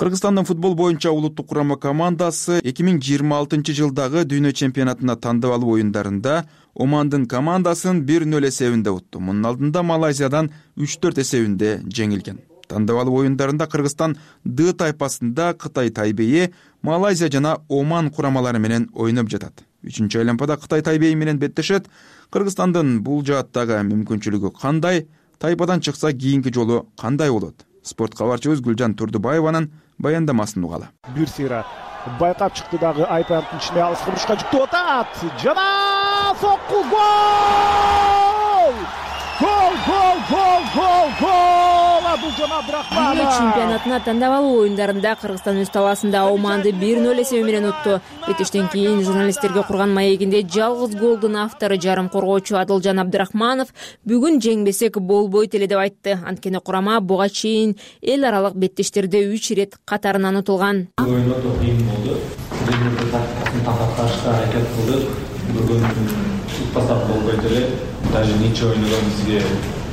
Кыргызстандын футбол боюнча улуттук курама командасы 2026 жылдагы дүйнө чемпионатына тандап алуу оюндарында Омандын командасын 1-0 эсебинде утту. Мунун алдында Малайзиядан 3-4 эсебинде жеңилген. Тандап алуу оюндарында Кыргызстан Д тайпасында Кытай Тайбейи, Малайзия жана Оман курамалары менен ойноп жатат. 3-чү айланпада Кытай Тайбейи менен беттешет. Кыргызстандын бул жааттагы мүмкүнчүлүгү кандай? Тайпадан чыкса кийинки жолу кандай болот? Спорт кабарчыбыз Гүлжан Турдубаеванын баяндамасын угалы. Бир сыйра байкап чыкты дагы айпанттын ичине алыс бурушка жүктөп атат. Жана сокку гол! Гол! Адылжан Абдрахманов. Дүйнө чемпионатына тандап алуу оюндарында Кыргызстан өз талаасында Оманды 1-0 эсеби менен утту. Беттештен кийин журналисттерге курган маегинде жалгыз голдун автору жарым коргоочу Адылжан Абдрахманов бүгүн жеңбесек болбойт эле деп айтты. Анткени курама буга чейин эл аралык беттештерде 3 ирет катарынан утулган. Оюнда кыйын болду. Бир тактикасын такташка аракет кылдык. Бүгүн утпасак болбойт эле. Даже нече ойногон бизге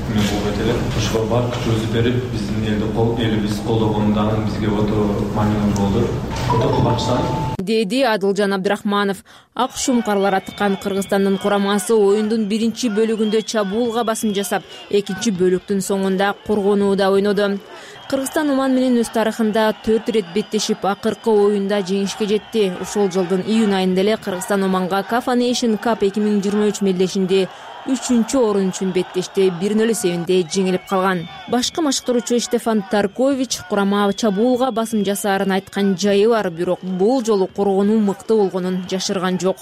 болбойт эле. Ошого бар күчүбүздү берип, биздин элибиз колдогонду бизге өтө маанилүү болду. Өтө кубанычтамын, деди Адылжан Абдрахманов. Ак шумкарлар аткан Кыргызстандын курамасы оюндун биринчи бөлүгүндө чабуулга басым жасап, экинчи бөлүктүн соңунда коргонууда ойноду. Кыргызстан Оман менен өз тарыхында 4 ирет беттешип, акыркы оюнда жеңишке жетти. Ушул жылдын июнь айында эле Кыргызстан Оманга CAF Nation Cup 2023 мелдешинде 3-орун үчүн беттеште 1-0 эсебинде жеңилип калган. Башкы машыктыруучу Штефан Таркович курама чабуулга басым жасаарын айткан жайы бар, бирок бул жолу коргонуу мыкты болгонун жашырган жок.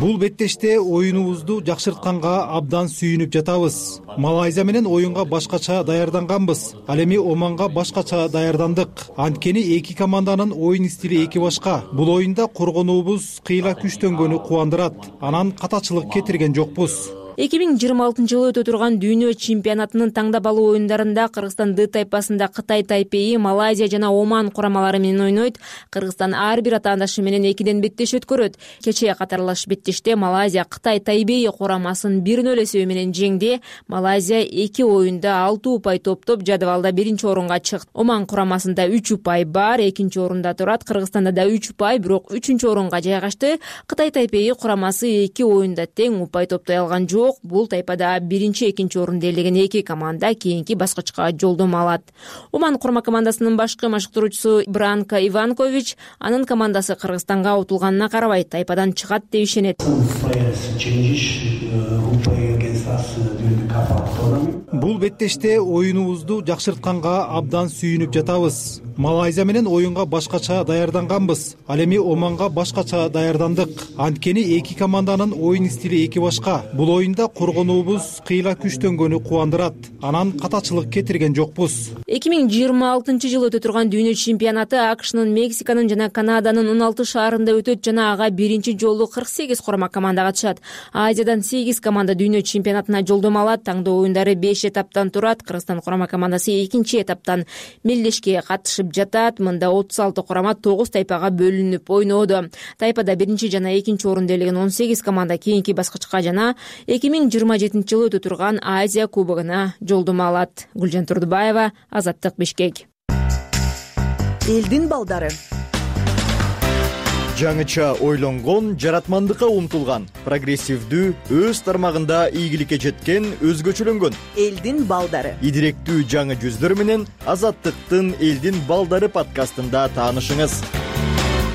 Бул беттеште оюнубузду жакшыртканга абдан сүйүнүп жатабыз. Малайзия менен оюнга башкача даярданганбыз. Ал эми Оманга башкача даярдандык. Анткени эки команданын оюн стили эки башка. Бул оюнда коргонуубуз кыйла күчтөнгөнү кубандырат. Анан катачылык кетирген жокпуз. 2026 жылы өтө турган дүйнө чемпионатынын таңдап алуу оюндарында Кыргызстан Д тайпасында Кытай Тайпейи, Малайзия жана Оман курамалары менен ойнойт. Кыргызстан ар бир атаандашы менен 2ден беттеш өткөрөт. Кечээ катарлаш беттеште Малайзия Кытай Тайбейи курамасын 1-0 эсеби менен жеңди. Малайзия 2 оюнда 6 упай топтоп жадыбалда 1-орунга чыкты. Оман курамасында 3 упай бар, 2-орунда турат. Кыргызстанда да 3 упай, бирок 3-орунга жайгашты. Кытай Тайпейи курамасы 2 оюнда тең упай топтой алган жок. Бул тайпада 1-2 орунду ээлеген эки команда кийинки баскычка жолдомо алат. Оман курама командасынын башкы машыктыруучусу Бранко Иванкович анын командасы Кыргызстанга утулганына карабай тайпадан чыгат деп ишенет. Бул беттеште оюнубузду жакшыртканга абдан сүйүнүп жатабыз. Малайзия менен оюнга башкача даярданганбыз. Ал эми Оманга башкача даярдандык. Анткени эки команданын оюн стили эки башка. Бул оюнда коргонуубуз кыйла күчтөнгөнү кубандырат. Анан катачылык кетирген жокпуз. 2026 жылы өтө турган дүйнө чемпионаты АКШнын, Мексиканын жана Канаданын 16 шаарында өтөт жана ага биринчи жолу 48 курама команда катышат. Азиядан 8 команда дүйнө чемпионатына жолдомо алат. Таңдоо оюндары 5 этаптан турат. Кыргызстан курама командасы 2 этаптан мелдешке катышып жатат. Мында 36 курама 9 тайпага бөлүнүп ойноодо. Тайпада 1 жана 2 орунду ээлеген 18 команда кийинки баскычка жана 2027 жылы өтө турган Азия кубогуна жолдомо алат. Гүлжан Турдубаева, Азаттык, Бишкек. Элдин балдары. Жаңыча ойлонгон, жаратмандыкка умтулган, прогрессивдүү, өз тармагында ийгиликке жеткен, өзгөчөлөнгөн элдин балдары. Идиректүү жаңы жүздөр менен Азаттыктын Элдин балдары подкастында таанышыңыз.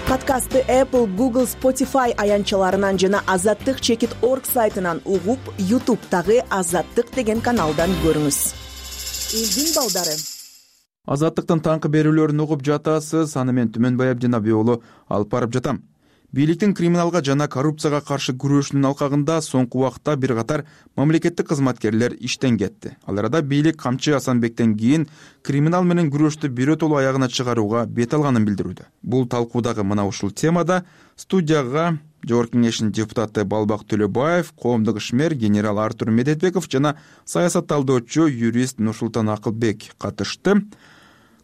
Подкастты Apple, Google, Spotify аянтчаларынан жана Azattik.org сайтынан угуп, YouTube'тагы Азаттык деген каналдан көрүңүз. Элдин балдары. Азаттыктын таңкы берүүлөрүн угуп жатасыз. Аны мен Түмөнбай Абдинабий уулу алып барып жатам. Бийликтин криминалга жана коррупцияга каршы күрөшүнүн алкагында соңку убакта бир катар мамлекеттик кызматкерлер иштен кетти. Ал арада бийлик Камчы Асанбектен кийин криминал менен күрөштү бирөтөлүү аягына чыгарууга бет алганын билдирүүдө. Бул талкуудагы мына ушул темада студияга Жогорку кеңештин депутаты Балбак Төлөбаев, коомдук ишмер генерал Артур Медетбеков жана саясат талдоочу юрист Нурсултан Акылбек катышты.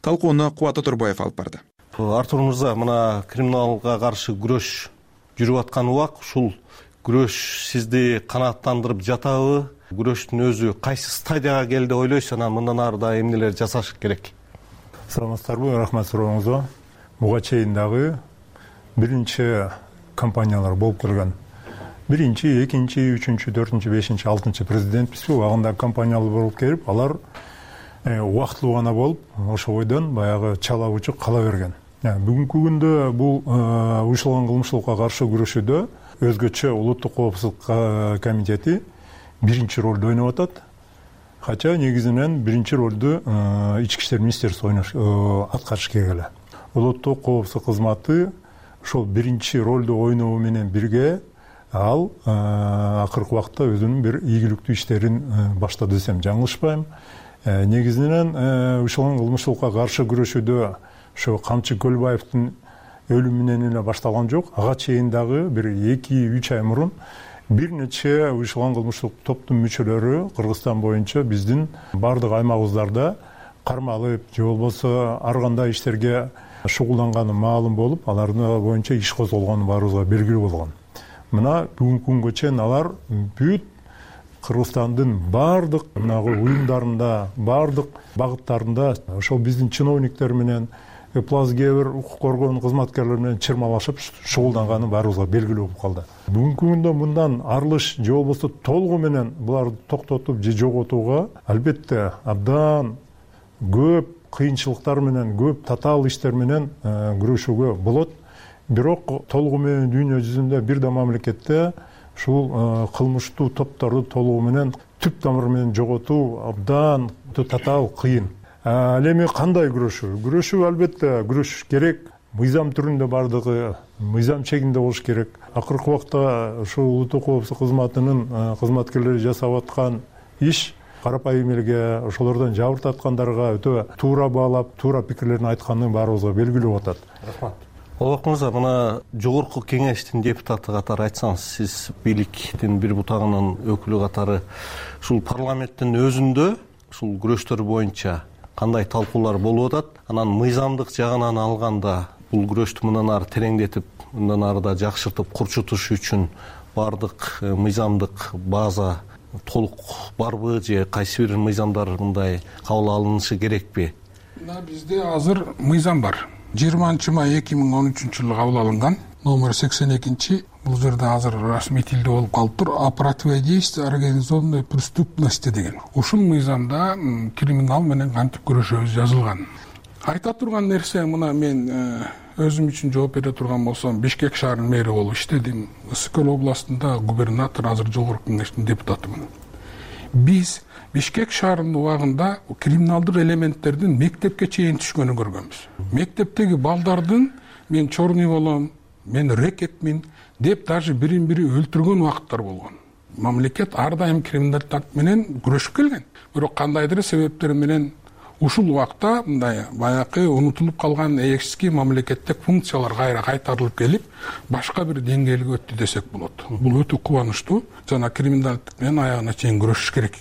Талкууну Кубат Отурбаев алып барды. Артур мырза, мына криминалга каршы күрөш жүрүп аткан убак, ушул күрөш сизди канааттандырып жатабы? Күрөштүн өзү кайсы стадияга келди деп ойлойсуз? Анан мындан ары да эмнелер жасаш керек? Саламатсыздарбы, рахмат сурооңузга. Буга чейин дагы биринчи компаниялар болуп келген. Биринчи, экинчи, үчүнчү, төртүнчү, бешинчи, алтынчы президентпизби, убагында компаниялар болуп келип, алар убактылуу гана болуп, ошо бойдон баягы чала учук кала берген. Бүгүнкү күндө бул уюштурулган кылмыштуулукка каршы күрөшүүдө өзгөчө улуттук коопсуздук комитети биринчи ролду ойноп атат. Хотя негизинен биринчи ролду ички иштер министерствосу аткарыш керек эле. Улуттук коопсуздук кызматы ошол биринчи ролду ойноо менен бирге ал акыркы убакта өзүнүн бир ийгиликтүү иштерин баштады десем жаңылышпайм. Негизинен уюштурулган кылмыштуулукка каршы күрөшүүдө ошо Камчы Көлбаевдин өлүмү менен эле башталган жок. Ага чейин дагы бир 2-3 ай мурун бир нече уюштурулган кылмыштуулук топтун мүчөлөрү Кыргызстан боюнча биздин бардык аймагыбыздарда кармалып, же болбосо ар кандай иштерге шугулданганы маалым болуп, алардын боюнча иш козголгону баарыбызга белгилүү болгон. Мына бүгүнкү күнгө чейин алар бүт Кыргызстандын бардык уюмдарында, бардык багыттарында ошол биздин чиновниктер менен кээ бир укук коргоо кызматкерлери менен чырмалашып шугулданганы баарыбызга белгилүү болуп калды. Бүгүнкү күндө мындан арылыш же болбосо толугу менен буларды токтотуп же жоготууга албетте абдан көп кыйынчылыктар менен, көп татаал иштер менен күрөшүүгө болот. Бирок толугу менен дүйнө жүзүндө бир да мамлекетте ушул кылмыштуу топторду толугу менен түп тамыры менен жоготуу абдан татаал кыйын. Ал эми кандай күрөшүү? Күрөшүү албетте күрөшүш керек. Мыйзам түрүндө бардыгы мыйзам чегинде болуш керек. Акыркы убакта ушул улуттук коопсуздук кызматынын кызматкерлери жасап аткан иш карапайым элге, ошолордон жабыр тарткандарга өтө туура баалап, туура пикирлерин айтканы баарыбызга белгилүү болуп атат. Рахмат. Балбак мырза, мына жогорку кеңештин депутаты катары айтсаңыз, сиз бийликтин бир бутагынын өкүлү катары ушул парламенттин өзүндө ушул күрөштөр боюнча кандай талкуулар болуп атат? Анан мыйзамдык жагынан алганда бул күрөштү мындан ары тереңдетип, мындан ары да жакшыртып курчутуш үчүн бардык мыйзамдык база толук барбы же кайсы бир мыйзамдар мындай кабыл алынышы керекпи? Бизде азыр мыйзам бар. 20-май 2013-жылы кабыл алынган номер 82. Бул жерде азыр расмий тилде болуп калыптыр. О противодействии организованной преступности деген. Ушул мыйзамда криминал менен кантип күрөшөбүз жазылган. Айта турган нерсе, мына мен өзүм үчүн жооп бере турган болсом, Бишкек шаарынын мэри болуп иштедим. Ысык-Көл областында губернатор, азыр жогорку кеңештин депутатымын. Биз Бишкек шаарынын убагында криминалдык элементтердин мектепке чейин түшкөнүн көргөнбүз. Мектептеги балдардын мен чорный болом, мен рекетмин деп даже бирин-бири өлтүргөн убакыттар болгон. Мамлекет ар дайым криминалдык менен күрөшүп келген. Бирок кандайдыр себептер менен ушул убакта мындай баягы унутулуп калган эски мамлекеттик функциялар кайра кайтарылып келип, башка бир деңгээлге өттү десек болот. Бул өтө кубанычтуу. Жана криминалдык менен аягына чейин күрөшүш керек.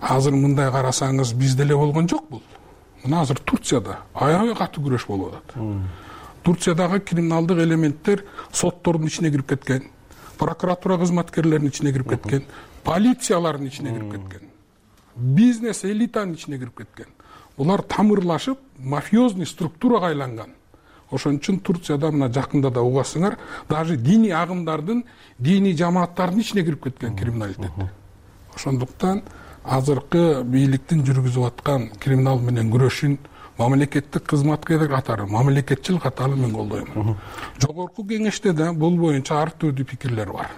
Азыр мындай карасаңыз бизде эле болгон жок бул. Мына азыр Турцияда аябай катуу күрөш болуп атат. Турциядагы криминалдык элементтер соттордун ичине кирип кеткен, прокуратура кызматкерлеринин ичине кирип кеткен, полициялардын ичине кирип кеткен, бизнес элитанын ичине кирип кеткен. Булар тамырлашып, мафиозный структурага айланган. Ошон үчүн Турцияда мына жакында да угасыңар, даже диний агымдардын, диний жамааттардын ичине кирип кеткен криминалитет. Ошондуктан азыркы бийликтин жүргүзүп аткан криминал менен күрөшүн мамлекеттик кызматкерлер катары, мамлекетчил катары мен колдойм. Жогорку кеңеште да бул боюнча ар түрдүү пикирлер бар.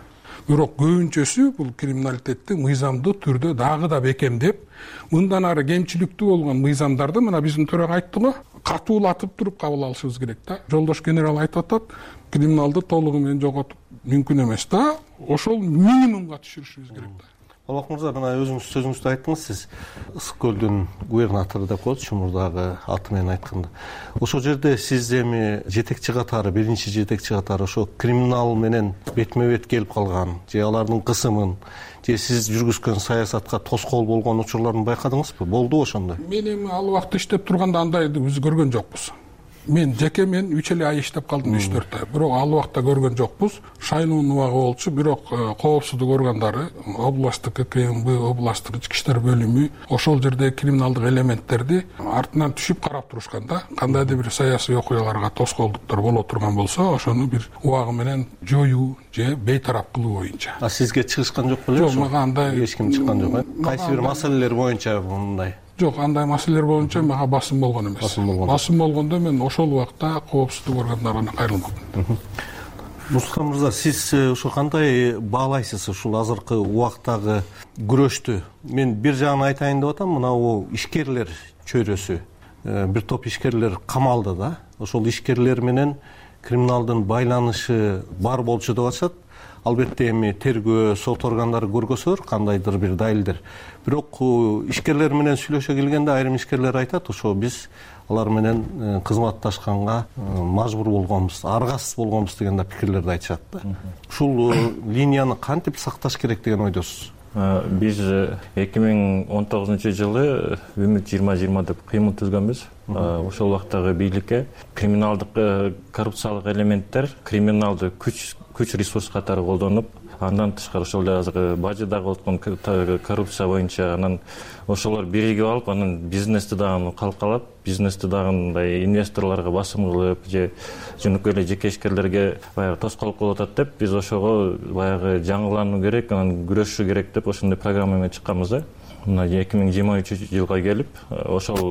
Бирок көбүнчөсү бул криминалитетти мыйзамдуу түрдө дагы да бекемдеп, мындан ары кемчиликтүү болгон мыйзамдарды мына биздин төрага айтты го, катуулатып туруп кабыл алышыбыз керек да. Жолдош генерал айтып атат, криминалды толугу менен жоготуп мүмкүн эмес да, ошол минимумга түшүрүшүбүз керек да. Албак мырза, мына өзүңүз сөзүңүздө айттыңыз, сиз Ысык көлдүн губернатору деп коет, Чумурдагы аты менен айтканда. Ошол жерде сиз эми жетекчи катары, биринчи жетекчи катары ошо криминал менен бетме бет келип калган, же алардын кысымын, же сиз жүргүзгөн саясатка тоскоол болгон учурларын байкадыңызбы? Болдубу ошондой? Мен эми ал убакта иштеп турганда андайды биз көргөн жокпуз. Мен 3 эле ай иштеп калдым, 3-4 ай. Бирок ал убакта көргөн жокпуз. Шайлоонун убагы болчу, бирок коопсуздук органдары, областтык КМБ, областтык ички иштер бөлүмү ошол жерде криминалдык элементтерди артынан түшүп карап турушкан да. Кандайдыр бир саясий окуяларга тоскоолдуктар боло турган болсо, ошону бир убагы менен жоюу же бейтарап кылуу боюнча. А сизге чыгышкан жок беле? Жок, мага андай эч ким чыккан жок. Кайсы бир маселелер боюнча мындай? Жок, андай маселелер боюнча мага басым болгон эмес. Басым болгондо мен ошол убакта коопсуздук органдарына кайрылмадым. Мустафа мырза, сиз ошо кандай баалайсыз ушул азыркы убактагы күрөштү? Мен бир жагын айтайын деп атам, мына бул ишкерлер чөйрөсү, бир топ ишкерлер камалды да. Ошол ишкерлер менен криминалдын байланышы бар болчу деп атышат. Албетте эми тергөө, сот органдары көргөзөр кандайдыр бир далилдер. Бирок ишкерлер менен сүйлөшө келгенде айрым ишкерлер айтат, ошо биз алар менен кызматташканга мажбур болгонбуз, аргасыз болгонбуз деген да пикирлерди айтышат да. Ушул линияны кантип сакташ керек деген ойдосуз? Биз 2019-жылы Үмүт 2020 деп кыймыл түзгөнбүз. Ошол убактагы бийликке криминалдык коррупциялык элементтер криминалды күч ресурс катары колдонуп, андан тышкары ошол эле азыр бажыдагы өткөн коррупция боюнча анан ошолор биригип алып, анан бизнести дагы калкалап, бизнести дагы мындай инвесторлорго басым кылып же жөнөкөй эле жеке ишкерлерге баягы тоскоолдук болуп атат деп, биз ошого баягы жаңылануу керек, анан күрөшүш керек деп ошондой программа менен чыкканбыз да. Мына 2023-жылга келип, ошол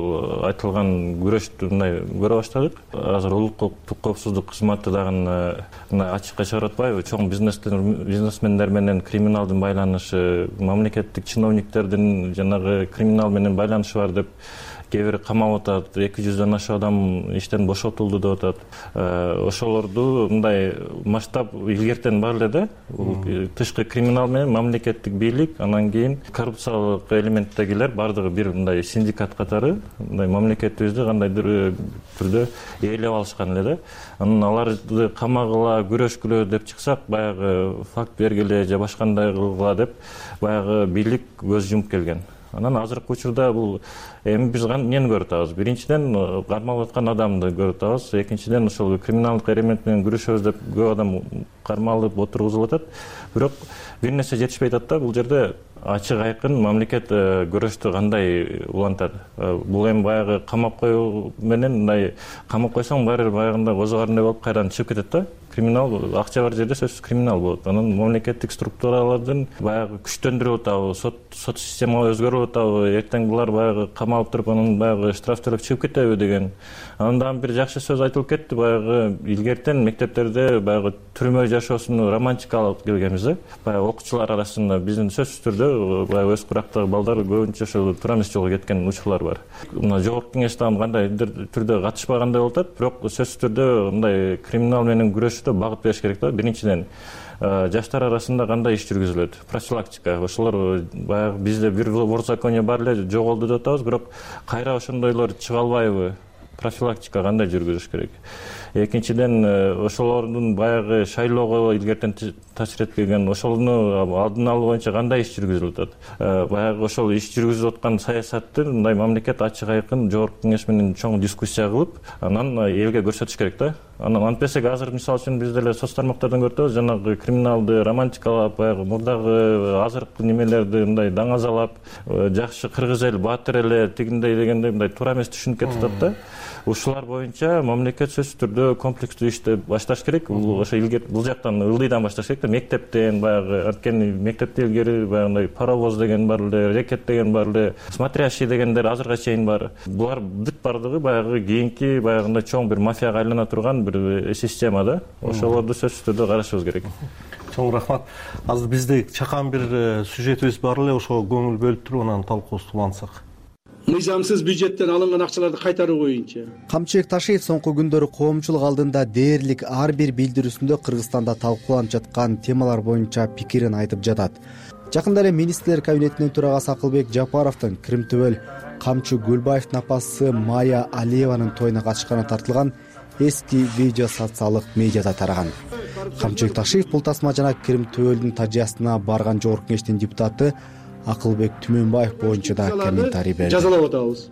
айтылган күрөштү мындай көрө баштадык. Азыр улуттук коопсуздук кызматы дагы мына ачыкка чыгарып атпайбы? Чоң бизнесмендер менен криминалдын байланышы, мамлекеттик чиновниктердин жанагы криминал менен байланышы бар деп кээ бир камалып атат, 200дөн ашык адам иштен бошотулду деп атат. Ошолорду мындай масштаб илгертен бар эле да. Тышкы криминал менен мамлекеттик бийлик, анан кийин коррупциялык элементтегилер бардыгы бир мындай синдикат катары, мындай мамлекетибизди кандайдыр түрдө ээлеп алышкан эле да. Анан аларды камагыла, күрөшкүлө деп чыксак, баягы факт бергиле же башкандай кылгыла деп баягы бийлик көз жумуп келген. Анан азыркы учурда бул эми биз эмнени көрүп атабыз? Биринчиден кармалып аткан адамды көрүп атабыз. Экинчиден ошол криминалдык элемент менен күрөшөбүз деп көп адам кармалып отургузулуп атат. Бирок бир нерсе жетишпей атат да, бул жерде ачык айкын мамлекет көрөштү кандай улантат. Бул эми баягы камап коюу менен мындай камап койсоң баары баягындай козогорундай болуп кайрадан чыгып кетет да. Криминал акча бар жерде сөзсүз криминал болот. Анан мамлекеттик структуралардын баягы күчтөндүрүп атабы, сот системага өзгөрүп атабы, эртең булар баягы камалып туруп анан баягы штраф төлөп чыгып кетеби деген. Андан бир жакшы сөз айтылып кетти, баягы илгертен мектептерде баягы түрмө жашоосуну романтикалап келгенбиз да. Баягы окуучулар арасында биздин сөзсүз түрдө баягы өз курактагы балдар көбүнчө ошол турамис жолго кеткен учурлар бар. Мына жогорку кеңеш дагы кандайдыр түрдө катышпагандай болуп атат, бирок сөзсүз түрдө мындай криминал менен күрөшүштө багыт бериш керек да. Биринчиден жаштар арасында кандай иш жүргүзүлөт? Профилактика. Ошолор баягы бизде бир законие бар эле, жоголду деп атабыз, бирок кайра ошондойлор чыга албайбы? Профилактика кандай жүргүзүш керек? Экинчиден ошолордун баягы шайлоого илгертен таасир этпеген, ошону алдын алуу боюнча кандай иш жүргүзүлүп атат? Баягы ошол иш жүргүзүп аткан саясатты мындай мамлекет ачык айкын жогорку кеңеш менен чоң дискуссия кылып, анан элге көрсөтүш керек да. Анан антпесек азыр мисалы үчүн биз деле соц тармактардан көрүп атабыз, жанагы криминалды романтикалап, баягы мурдагы азыркы немелерди мындай даңазалап, жакшы кыргыз эл, баатыр эле тигиндей дегендей мындай туура эмес түшүнүп кетип атат да. Ушулар боюнча мамлекет сөзсүз түрдө комплекстүү ишти башташ керек. Ошо бул жактан ылдыйдан башташ керек да, мектептен баягы, анткени мектепте илгери баягындай паровоз деген бар эле, рекет деген бар эле, смотрящий дегендер азыркыга чейин бар. Булар бүт бардыгы баягы кийинки баягындай чоң бир мафияга айлана турган бир система да. Ошолорду сөзсүз түрдө карашыбыз керек. Чоң рахмат. Азыр бизде чакан бир сюжетибиз бар эле, ошого көңүл бөлүп туруп анан талкуубузду улантсак. Мыйзамсыз бюджеттен алынган акчаларды кайтаруу боюнча. Камчыбек Ташиев соңку күндөрү коомчулук алдында дээрлик ар бир билдирүүсүндө Кыргызстанда талкууланып жаткан темалар боюнча пикирин айтып жатат. Жакында эле министрлер кабинетинин төрагасы Акылбек Жапаровдун Кырымтөбөл Камчы Гүлбаевдин апасы Майя Алиеванын тоюна катышканы тартылган эски видео социалдык медиада тараган. Камчыбек Ташиев бул тасма жана Кырымтөбөлдүн тажыясына барган жогорку кеңештин депутаты Акылбек Түмөнбаев боюнча да комментарий берди. Жазалап атабыз.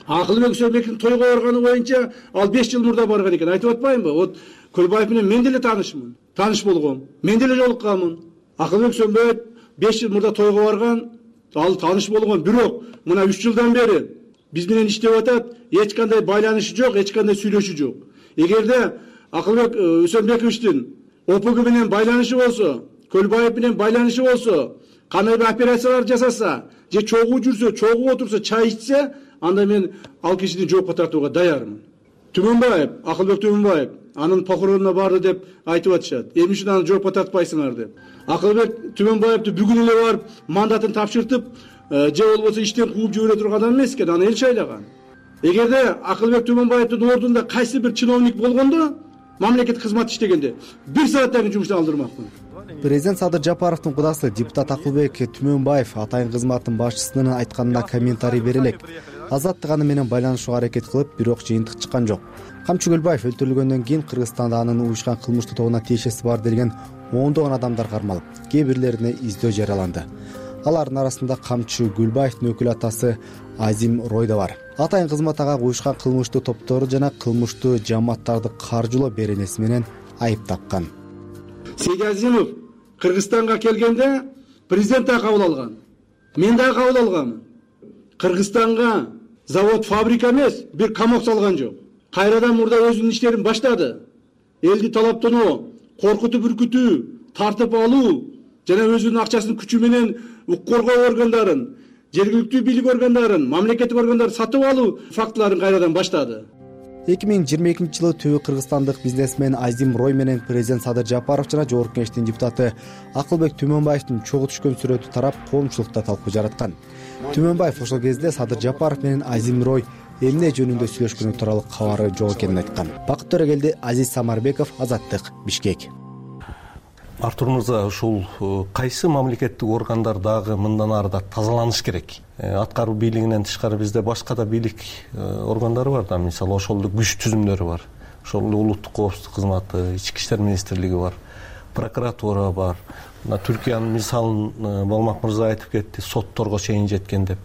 Акылбек Сөбектин тойго барганы боюнча ал 5 жыл мурда барган экен. Айтып атпаймынбы? Вот Көлбаев менен мен деле таанышмын. Тааныш болгом. Мен деле жолукканмын. Акылбек Сөбөт 5 жыл мурда тойго барган, ал тааныш болгон. Бирок мына 3 жылдан бери биз менен иштеп атат, эч кандай байланышы жок, эч кандай сүйлөшүү жок. Эгерде Акылбек Сөбөтовичтин ОПГ менен байланышы болсо, Көлбаев менен байланышы болсо, кандай бир операциялар жасаса, же чогуу жүрсө, чогуу отурса, чай ичсе, анда мен ал кишини жоопко тартууга даярмын. Түмөнбаев, Акылбек Түмөнбаев анын похоронуна барды деп айтып атышат. Эмне үчүн аны жоопко тартпайсыңар деп. Акылбек Түмөнбаевди бүгүн эле барып мандатын тапшыртып, же болбосо иштен кууп жибере турган эмес экен, аны эл шайлаган. Эгерде Акылбек Түмөнбаевдин ордунда кайсы бир чиновник болгондо, мамлекеттик кызмат иштегенде 1 сааттан кийин жумуштан алдырмакмын. Президент Садыр Жапаровдун кудасы депутат Акылбек Түмөнбаев атайын кызматтын башчысынын айтканына комментарий бере элек. Азаттык аны менен байланышууга аракет кылып, бирок жыйынтык чыккан жок. Камчы Гүлбаев өлтүрүлгөндөн кийин Кыргызстанда анын уюшкан кылмыштуу тобуна тиешеси бар делген ондогон адамдар кармалып, кээ бирлерине издөө жарыяланды. Алардын арасында Камчы Гүлбаевдин өкүл атасы Азим Рой да бар. Атайын кызмат ага уюшкан кылмыштуу топтору жана кылмыштуу жамааттарды каржылоо беренеси менен айып таккан. Сейди Азимов Кыргызстанга келгенде президент да кабыл алган. Мен да кабыл алганмын. Кыргызстанга завод, фабрика эмес, бир камок салган жок. Кайрадан мурда өзүнүн иштерин баштады. Элди талаптоноо, коркутуп үркүтүү, тартып алуу жана өзүнүн акчасын күчү менен укук коргоо органдарын, жергиликтүү бийлик органдарын, мамлекеттик органдарды сатып алуу фактыларын кайрадан баштады. 2022-жылы түбү кыргызстандык бизнесмен Азим Рой менен президент Садыр Жапаров жана жогорку кеңештин депутаты Акылбек Түмөнбаевдин чогуу түшкөн сүрөтү тарап, коомчулукта талкуу жараткан. Түмөнбаев ошол кезде Садыр Жапаров менен Азим Рой эмне жөнүндө сүйлөшкөнү тууралуу кабары жок экенин айткан. Бакыт Төрөгелди, Азиз Самарбеков, Азаттык, Бишкек. Артур мырза, ушул кайсы мамлекеттик органдар дагы мындан ары да тазаланыш керек? Аткаруу бийлигинен тышкары бизде башка да бийлик органдары бар да, мисалы ошолдук күч түзүмдөрү бар. Ошол улуттук коопсуздук кызматы, ички иштер министрлиги бар, прокуратура бар. Мына Түркиянын мисалын Болмак мырза айтып кетти, сотторго чейин жеткен деп.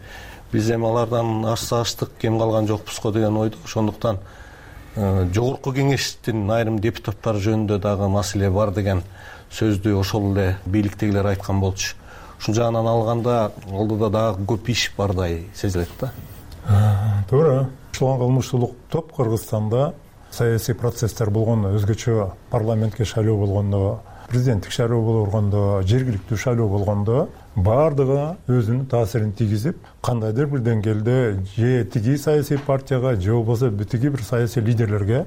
Биз эми алардан ашса-аштык, кем калган жокпуз го деген ойдо. Ошондуктан жогорку кеңештин айрым депутаттары жөнүндө дагы маселе бар деген сөздү ошол эле бийликтегилер айткан болчу. Ушул жагынан алганда олдо дагы көп иш бардай сезилет да. Туура. Ушул кылмыштуулук топ Кыргызстанда саясий процесстер болгондо, өзгөчө парламентке шайлоо болгондо, президенттик шайлоо болгондо, жергиликтүү шайлоо болгондо баардыгы өзүнүн таасирин тийгизип, кандайдыр бир деңгээлде же тиги саясий партияга, же болбосо тиги бир саясий лидерлерге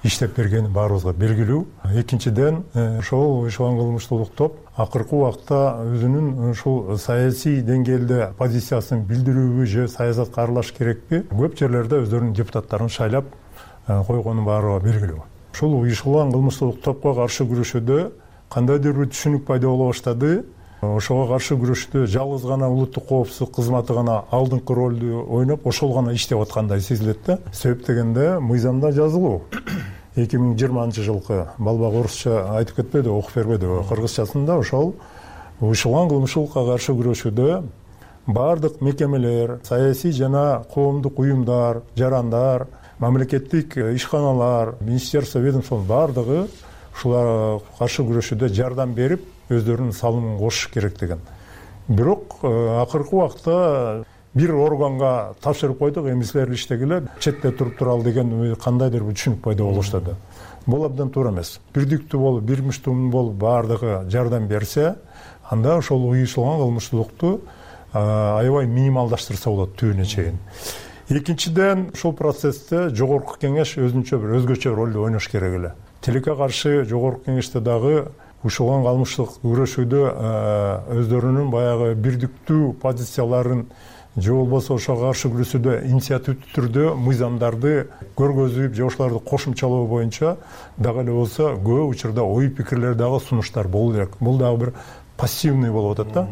иштеп бергени баарыбызга белгилүү. Экинчиден, ошол уюшкан кылмыштуулук топ акыркы убакта өзүнүн ушул саясий деңгээлде позициясын билдирүүбү же саясатка аралаш керекпи, көп жерлерде өздөрүнүн депутаттарын шайлап койгону баарыбызга белгилүү. Ушул уюшкан кылмыштуулук топко каршы күрөшүүдө кандайдыр бир түшүнүк пайда боло баштады. Ошого каршы күрөштө жалгыз гана улуттук коопсуздук кызматы гана алдыңкы ролду ойноп, ошол гана иштеп аткандай сезилет да. Себеп дегенде мыйзамда жазылуу. 2020-жылкы балбак орусча айтып кетпеди, окуп бербеди. Кыргызчасында ошол уюшкан кылмыштуулукка каршы күрөшүүдө баардык мекемелер, саясий жана коомдук уюмдар, жарандар, мамлекеттик ишканалар, министерство, ведомство баардыгы ушуларга каршы күрөшүүдө жардам берип, өздөрүнүн салымын кошуш керек деген. Бирок акыркы убакта бир органга тапшырып койдук, эмисилер иштегиле, четте туруп туралы деген кандайдыр бир түшүнүк пайда боло баштады. Бул абдан туура эмес. Бирдиктүү болуп, бир муштум болуп баардыгы жардам берсе, анда ошол уюшулган кылмыштуулукту аябай минималдаштырса болот түбүнө чейин. Экинчиден, ушул процессте жогорку кеңеш өзүнчө бир өзгөчө ролду ойнош керек эле. Тилекке каршы жогорку кеңеште дагы ушулган кылмыштуулук күрөшүүдө өздөрүнүн баягы бирдиктүү позицияларын же болбосо ошого каршы күрөшүүдө инициативдүү түрдө мыйзамдарды көргөзүп, же ошолорду кошумчалоо боюнча дагы эле болсо көп учурда ой пикирлер дагы сунуштар болуу керек. Бул дагы бир пассивный болуп атат да.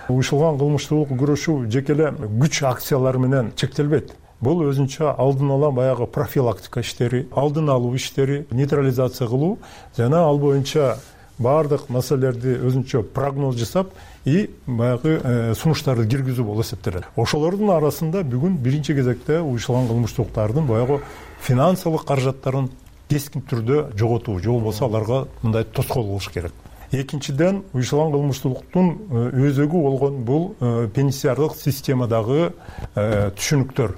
Уюштурулган кылмыштуулукка күрөшүү жеке эле күч акциялары менен чектелбейт. Бул өзүнчө алдын ала баягы профилактика иштери, алдын алуу иштери, нейтрализация кылуу жана ал боюнча баардык маселелерди өзүнчө прогноз жасап и баягы сунуштарды киргизүү болуп эсептелет. Ошолордун арасында бүгүн биринчи кезекте уюштурулган кылмыштуулуктардын баягы финансылык каражаттарын кескин түрдө жоготуу, же болбосо аларга мындай тоскоол болуш керек. Экинчиден, уюштурулган кылмыштуулуктун өзөгү болгон бул пенитенциардык системадагы түшүнүктөр.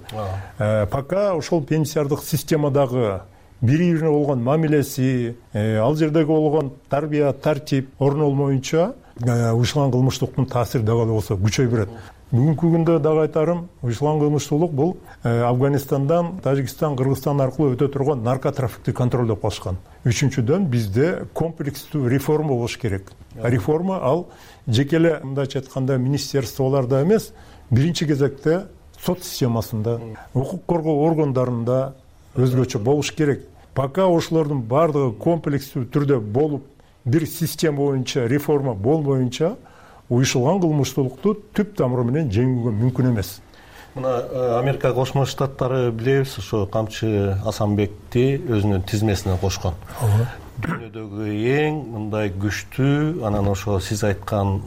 Пока ошол пенитенциардык системадагы бири-бирине болгон мамилеси, ал жердеги болгон тарбия, тартип орнолмоюнча уюштурулган кылмыштуулуктун таасири дагы болсо күчөй берет. Бүгүнкү күндө дагы айтарым, уюштурулган кылмыштуулук бул Афганистандан, Тажикстан, Кыргызстан аркылуу өтө турган наркотрафикти контролдоп калышкан. Үчүнчүдөн, бизде комплекстүү реформа болуш керек. Реформа ал жеке эле мындайча айтканда министерстволордо эмес, биринчи кезекте сот системасында, укук коргоо органдарында өзгөчө болуш керек. Пока ошолордун баардыгы комплекстүү түрдө болуп, бир система боюнча реформа болбоюнча уюштурулган кылмыштуулукту түп тамыры менен жеңүүгө мүмкүн эмес. Мына Америка Кошмо Штаттары билебиз, ошо Камчы Асанбекти өзүнүн тизмесине кошкон. Дүйнөдөгү эң мындай күчтүү, анан ошо сиз айткан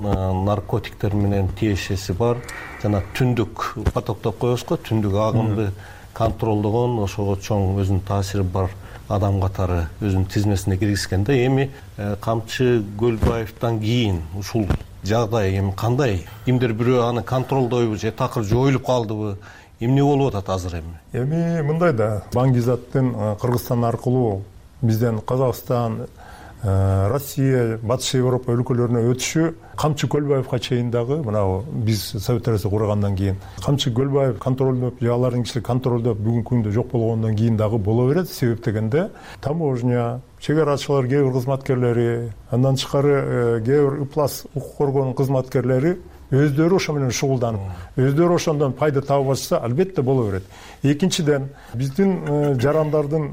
наркотиктер менен тиешеси бар жана түндүк потоктоп коебуз го, түндүк агымды контролдогон, ошого чоң өзүнүн таасири бар адам катары өзүнүн тизмесине киргизгенде, эми Камчы Көлбаевден кийин ушул жагдай эми кандай? Кимдир бирөө аны контролдойбу же такыр жоюлуп калдыбы? Эмне болуп атат азыр эми? Эми мындай да, Баңгизаттын Кыргызстан аркылуу бизден Казакстан, Россия, Батыш Европа өлкөлөрүнө өтүшү Камчы Көлбаевга чейин дагы, мына биз Совет Арасы кургандан кийин Камчы Көлбаев контролдоп, алардын кишилери контролдоп бүгүнкү күндө жок болгондон кийин дагы боло берет. Себеп дегенде таможня, чек арачылар, кээ бир кызматкерлери, андан тышкары кээ бир ыплас укук коргоонун кызматкерлери өздөрү ошо менен шугулданып, өздөрү ошондон пайда табып атышса, албетте боло берет. Экинчиден, биздин жарандардын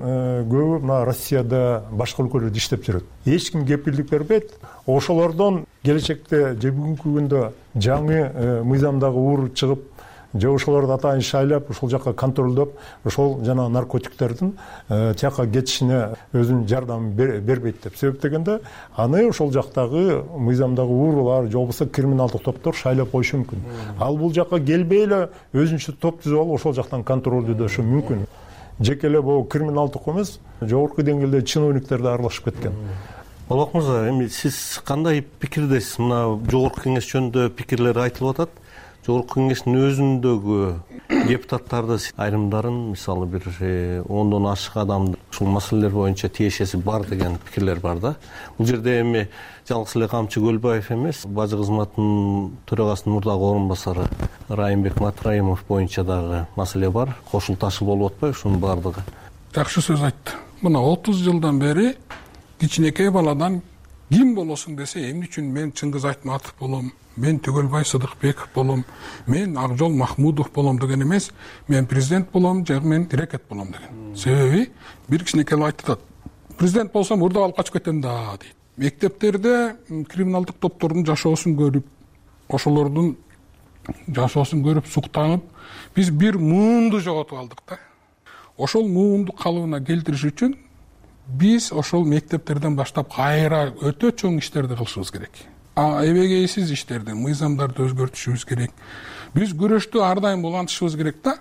көбү мына Россияда, башка өлкөлөрдө иштеп жүрөт. Эч ким кепилдик бербейт. Ошолордон келечекте же бүгүнкү күндө жаңы мыйзамдагы уур чыгып, же ошолорду атайын шайлап, ошол жакка контролдоп, ошол жана наркотиктердин тияка кетишине өзүнүн жардамын бербейт деп. Себеп дегенде, аны ошол жактагы мыйзамдагы уурлар, же болбосо криминалдык топтор шайлап коюшу мүмкүн. Ал бул жакка келбей эле өзүнчө топ түзүп алып, ошол жактан контролдөөшү мүмкүн. Жеке эле бул криминалдык эмес, жогорку деңгээлде чиновниктер да аралашып кеткен. Болок мырза, эми сиз кандай пикирдесиз? Мына жогорку кеңеш жөнүндө пикирлер айтылып атат. Жогорку кеңештин өзүндөгү депутаттарды айрымдарын, мисалы бир 10дон ашык адам ушул маселелер боюнча тиешеси бар деген пикирлер бар да. Бул жерде эми жалгыз эле Камчы Көлбаев эмес, бажы кызматынын төрагасынын мурдагы орун басары Райымбек Матраимов боюнча дагы маселе бар. Кошул ташы болуп атпайбы ушунун баардыгы? Жакшы сөз айтты. Мына 30 жылдан бери кичинекей баладан ким болосуң десе, эмне үчүн мен Чыңгыз Айтматов болом, мен Түгөлбай Сыдыкбеков болом, мен Акжол Махмудов болом деген эмес, мен президент болом же мен рекет болом деген. Себеби бир кичинекей айтат, президент болсом урдап алып качып кетем да дейт. Мектептерде криминалдык топтордун жашоосун көрүп, ошолордун жашоосун көрүп суктанып, биз бир муунду жоготуп алдык да. Ошол муунду калыбына келтириш үчүн биз ошол мектептерден баштап кайра өтө чоң иштерди кылышыбыз керек. Эбегейсиз иштерди, мыйзамдарды өзгөртүшүбүз керек. Биз күрөштү ар дайым улантышыбыз керек да.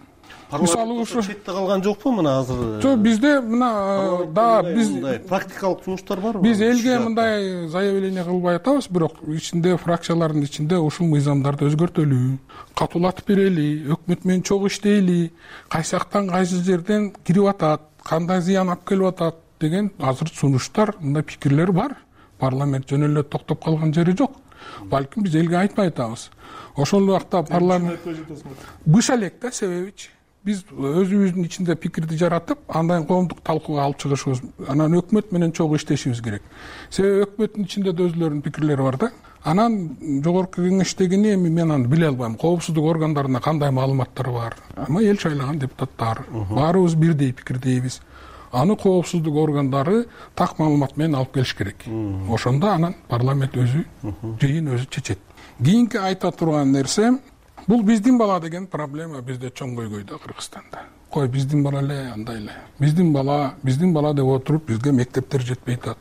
Мисалы ушу четте калган жокпу мына азыр? Жок, бизде мына да биз практикалык жумуштар барбы? Биз элге мындай заявление кылбай атабыз, бирок ичинде фракциялардын ичинде ушул мыйзамдарды өзгөртөлү, катуулатып берели, өкмөт менен чогуу иштейли, кайсы жактан кайсы жерден кирип атат, кандай зыян алып келип атат деген азыр сунуштар, мындай пикирлер бар. Парламент жөн эле токтоп калган жери жок. Балким биз элге айтпай атабыз. Ошол убакта парламент быша элек да, себебичи биз өзүбүздүн ичинде пикирди жаратып, андан коомдук талкууга алып чыгышыбыз, анан өкмөт менен чогуу иштешибиз керек. Себеби өкмөттүн ичинде да өзүлөрүнүн пикирлери бар да. Анан жогорку кеңештегини эми мен аны биле албайм. Коопсуздук органдарына кандай маалыматтар бар. Ама эл шайлаган депутаттар баарыбыз бирдей пикирдейбиз. аны коопсуздук органдары так маалымат менен алып келиш керек. Ошондо анан парламент өзү жыйын өзү чечет. Кийинки айта турган нерсе, бул биздин бала деген проблема бизде чоң көйгөйдө Кыргызстанда. Кой биздин бала эле, андай эле. Биздин бала деп отуруп бизге мектептер жетпей атат.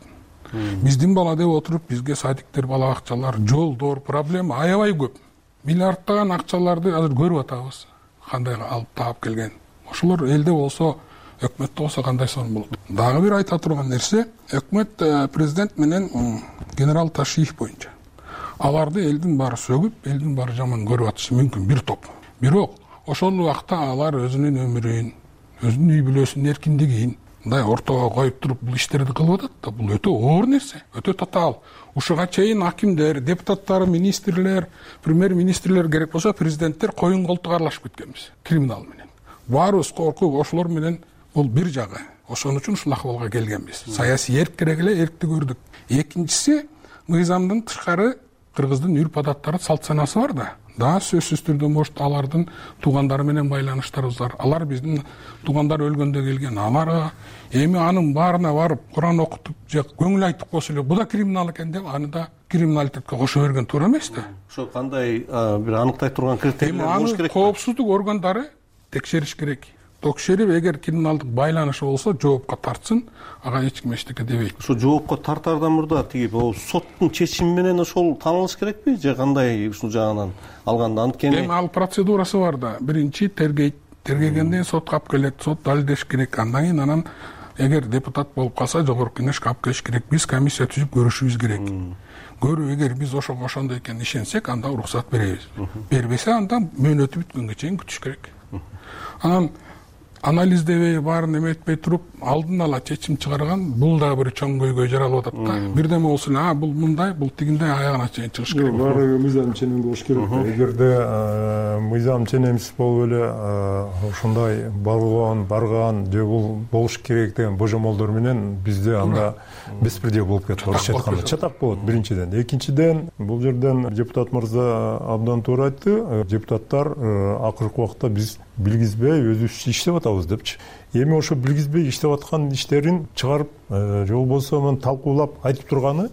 Биздин бала деп отуруп бизге садиктер, бала бакчалар, жолдор проблема аябай көп. Миллиардтаган акчаларды азыр көрүп атабыз. Кандай алып таап келген. Ошолор элде болсо, өкмөттө болсо кандай сонун болот. Дагы бир айта турган нерсе, өкмөт президент менен генерал Ташиев боюнча аларды элдин баары сөгүп, элдин баары жаман көрүп атышы мүмкүн бир топ. Бирок ошол убакта алар өзүнүн өмүрүн, өзүнүн үй бүлөсүнүн эркиндигин мындай ортого коюп туруп бул иштерди кылып атат да, бул өтө оор нерсе, өтө татаал. Ушуга чейин акимдер, депутаттар, министрлер, премьер-министрлер, керек болсо президенттер коюн колтук аралашып кеткенбиз криминал менен. Баарыбыз коркуп, ошолор менен бул бир жагы. Ошон үчүн ушул акыбалга келгенбиз. Саясий эрк керек эле, эркти көрдүк. Экинчиси, мыйзамдын тышкары кыргыздын үрп-адаттары, салт санасы бар да. Дагы сөзсүз түрдө может алардын туугандары менен байланыштарыбыз бар. Алар биздин туугандар өлгөндө келген. Аларга эми анын баарына барып Куран окутуп же көңүл айтып койсо эле, бул да криминал экен деп, аны да криминалитетке кошо берген туура эмес да. Ошо кандай бир аныктай турган критерийлер болуш керек. Коопсуздук органдары текшериш керек. Текшерип, эгер криминалдык байланышы болсо, жоопко тартсын, ага эч ким эчтеке дебейт. Ошо жоопко тартардан мурда тиги соттун чечими менен ошол таанылыш керекпи же кандай ушул жагынан алганда? Анткени эми ал процедурасы бар да. Биринчи тергейт, тергегенден кейін сотко алып келет, сот далилдеш керек. Андан кийин анан эгер депутат болуп калса, жогорку кеңешке алып келиш керек. Биз комиссия түзүп көрүшүбүз керек. Көрүп, эгер биз ошого ошондой экенин ишенсек, анда уруксат беребиз. Бербесе, анда мөөнөтү бүткөнгө чейин күтүш керек. Анан анализдебей, баарын эметпей туруп, алдын ала чечим чыгарган, бул дагы бир чоң көйгөй жаралып атат да. Бирдеме болсун, бул мындай, бул тигиндей аягына чейин чыгыш керек. Баары мыйзам ченем болуш керек. Эгерде мыйзам ченемсиз болуп эле ошондой барган же бул болуш керек деген божомолдор менен бизде анда беспредел болуп кетип орусча айтканда. Чатак болот биринчиден. Экинчиден, бул жерден депутат мырза абдан туура айтты. Депутаттар акыркы убакта биз билгизбей өзүбүзчө иштеп атабыз депчи. Эми ошо билгизбей иштеп аткан иштерин чыгарып, же болбосо муну талкуулап айтып турганы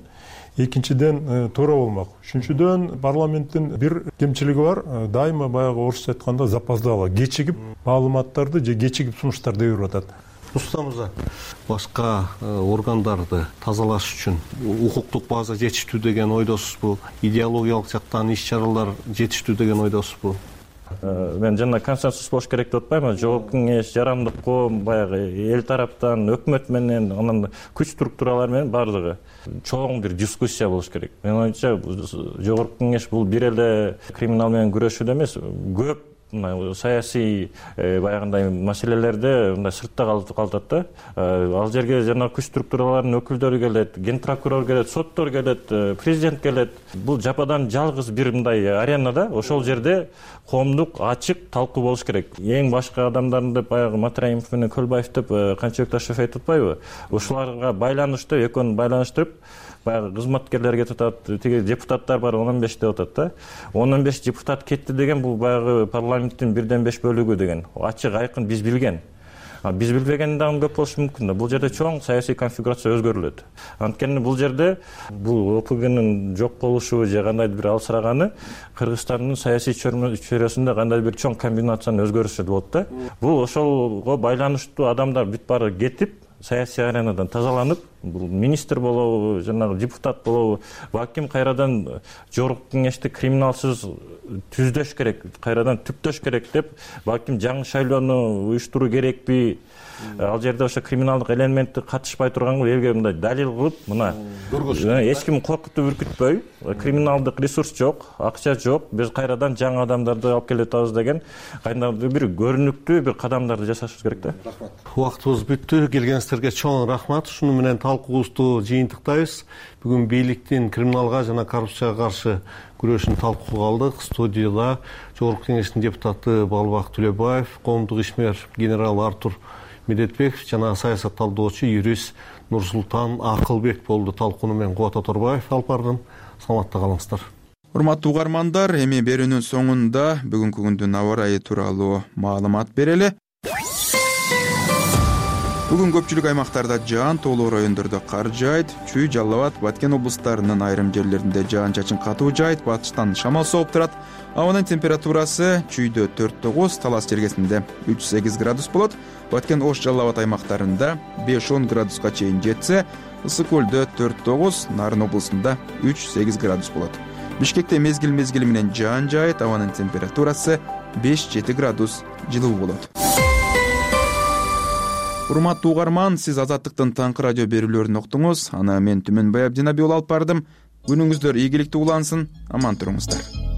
экинчиден туура болмок. Үчүнчүдөн, парламенттин бир кемчилиги бар. Дайыма баягы орусча айтканда запоздало, кечигип маалыматтарды же кечигип сунуштарды берип атат. Рустам мырза, башка органдарды тазалаш үчүн укуктук база жетиштүү деген ойдосузбу? Идеологиялык жактан иш-чаралар жетиштүү деген ойдосузбу? Мен жана консенсус болуш керек деп атпаймынбы. Жогорку кеңеш, жарандык коом, баягы эл тараптан, өкмөт менен, анан күч структуралар менен бардыгы чоң бир дискуссия болуш керек. Мен оюмча, жогорку кеңеш бул бир эле криминал менен күрөшүүдө эмес, көп саясий баягындай маселелерде мындай сыртта калтат да. Ал жерге жана күч структураларынын өкүлдөрү келет, ген прокурор келет, соттор келет, президент келет. Бул жападан жалгыз бир мындай аренада, ошол жерде коомдук ачык талкуу болуш керек. Эң башка адамдарды баягы Матраимов менен Көлбаев деп Канчыбек Ташев айтып атпайбы? Ошоларга байланыштуу, экөөнү байланыштырып, баягы кызматкерлер кетип атат, тиги депутаттар бар 15 деп атат да. 15 депутат кетти деген бул баягы парламенттин 1/5 бөлүгү деген. Ачык айкын биз билген. Биз билбеген дагы көп болушу мүмкүн да. Бул жерде чоң саясий конфигурация өзгөрүлөт. Анткени бул жерде бул ОПГнын жок болушу же кандайдыр бир алсыраганы Кыргызстандын саясий чөйрөсүндө кандайдыр бир чоң комбинациянын өзгөрүшү болот да. Бул ошолго байланыштуу адамдар бүт баары кетип, саясий аренадан тазаланып, бул министр болобу, жанагы депутат болобу, балким кайрадан жогорку кеңешти криминалсыз түздөш керек, кайрадан түптөш керек деп, балким жаңы шайлоону уюштуруу керекпи? Ал жерде ошо криминалдык элементти катышпай турганга элге мындай далил кылып, мына эч ким коркутуп үркүтпөй, криминалдык ресурс жок, акча жок, биз кайрадан жаңы адамдарды алып келип атабыз деген кайдандыр бир көрүнүктүү бир кадамдарды жасашыбыз керек да. Рахмат. Убактыбыз бүттү. Келгениңиздерге чоң рахмат. Шуну менен талкуубузду жыйынтыктайбыз. Бүгүн бийликтин криминалга жана коррупцияга каршы күрөшүн талкууга алдык. Студияда жогорку кеңештин депутаты Балбак Төлөбаев, коомдук ишмер генерал Артур Медетбеков жана саясат талдоочу юрист Нурсултан Акылбек болду. Талкууну мен Кубат Оторбаев алып бардым. Саламатта калыңыздар. Урматтуу угармандар, эми берүүнүн соңунда бүгүнкү күндүн аба ырайы тууралуу маалымат берели. Бүгүн көпчүлүк аймактарда жаан, тоолуу райондордо кар жаайт. Чүй, Жалал Абад, Баткен облустарынын айрым жерлеринде жаан-чачын катуу жаайт, батыштан шамал сооп турат. Абанын температурасы Чүйдө 4-9, Талас жергесинде 3-8 градус болот. Баткен, Ош, Жалал Абад аймактарында 5-10 градуска чейин жетсе, Ысык көлдө 4-9, Нарын облусунда 3-8 градус болот. Бишкекте мезгил менен жаан жаайт, абанын температурасы 5-7 градус жылуу болот. Урматтуу угарман, сиз Азаттыктын таңкы радио берүүлөрүн уктуңуз. Аны мен Түмөнбай Абдинабиұлы алып бардым. Күнүңүздөр ийгиликтүү улансын, аман туруңуздар.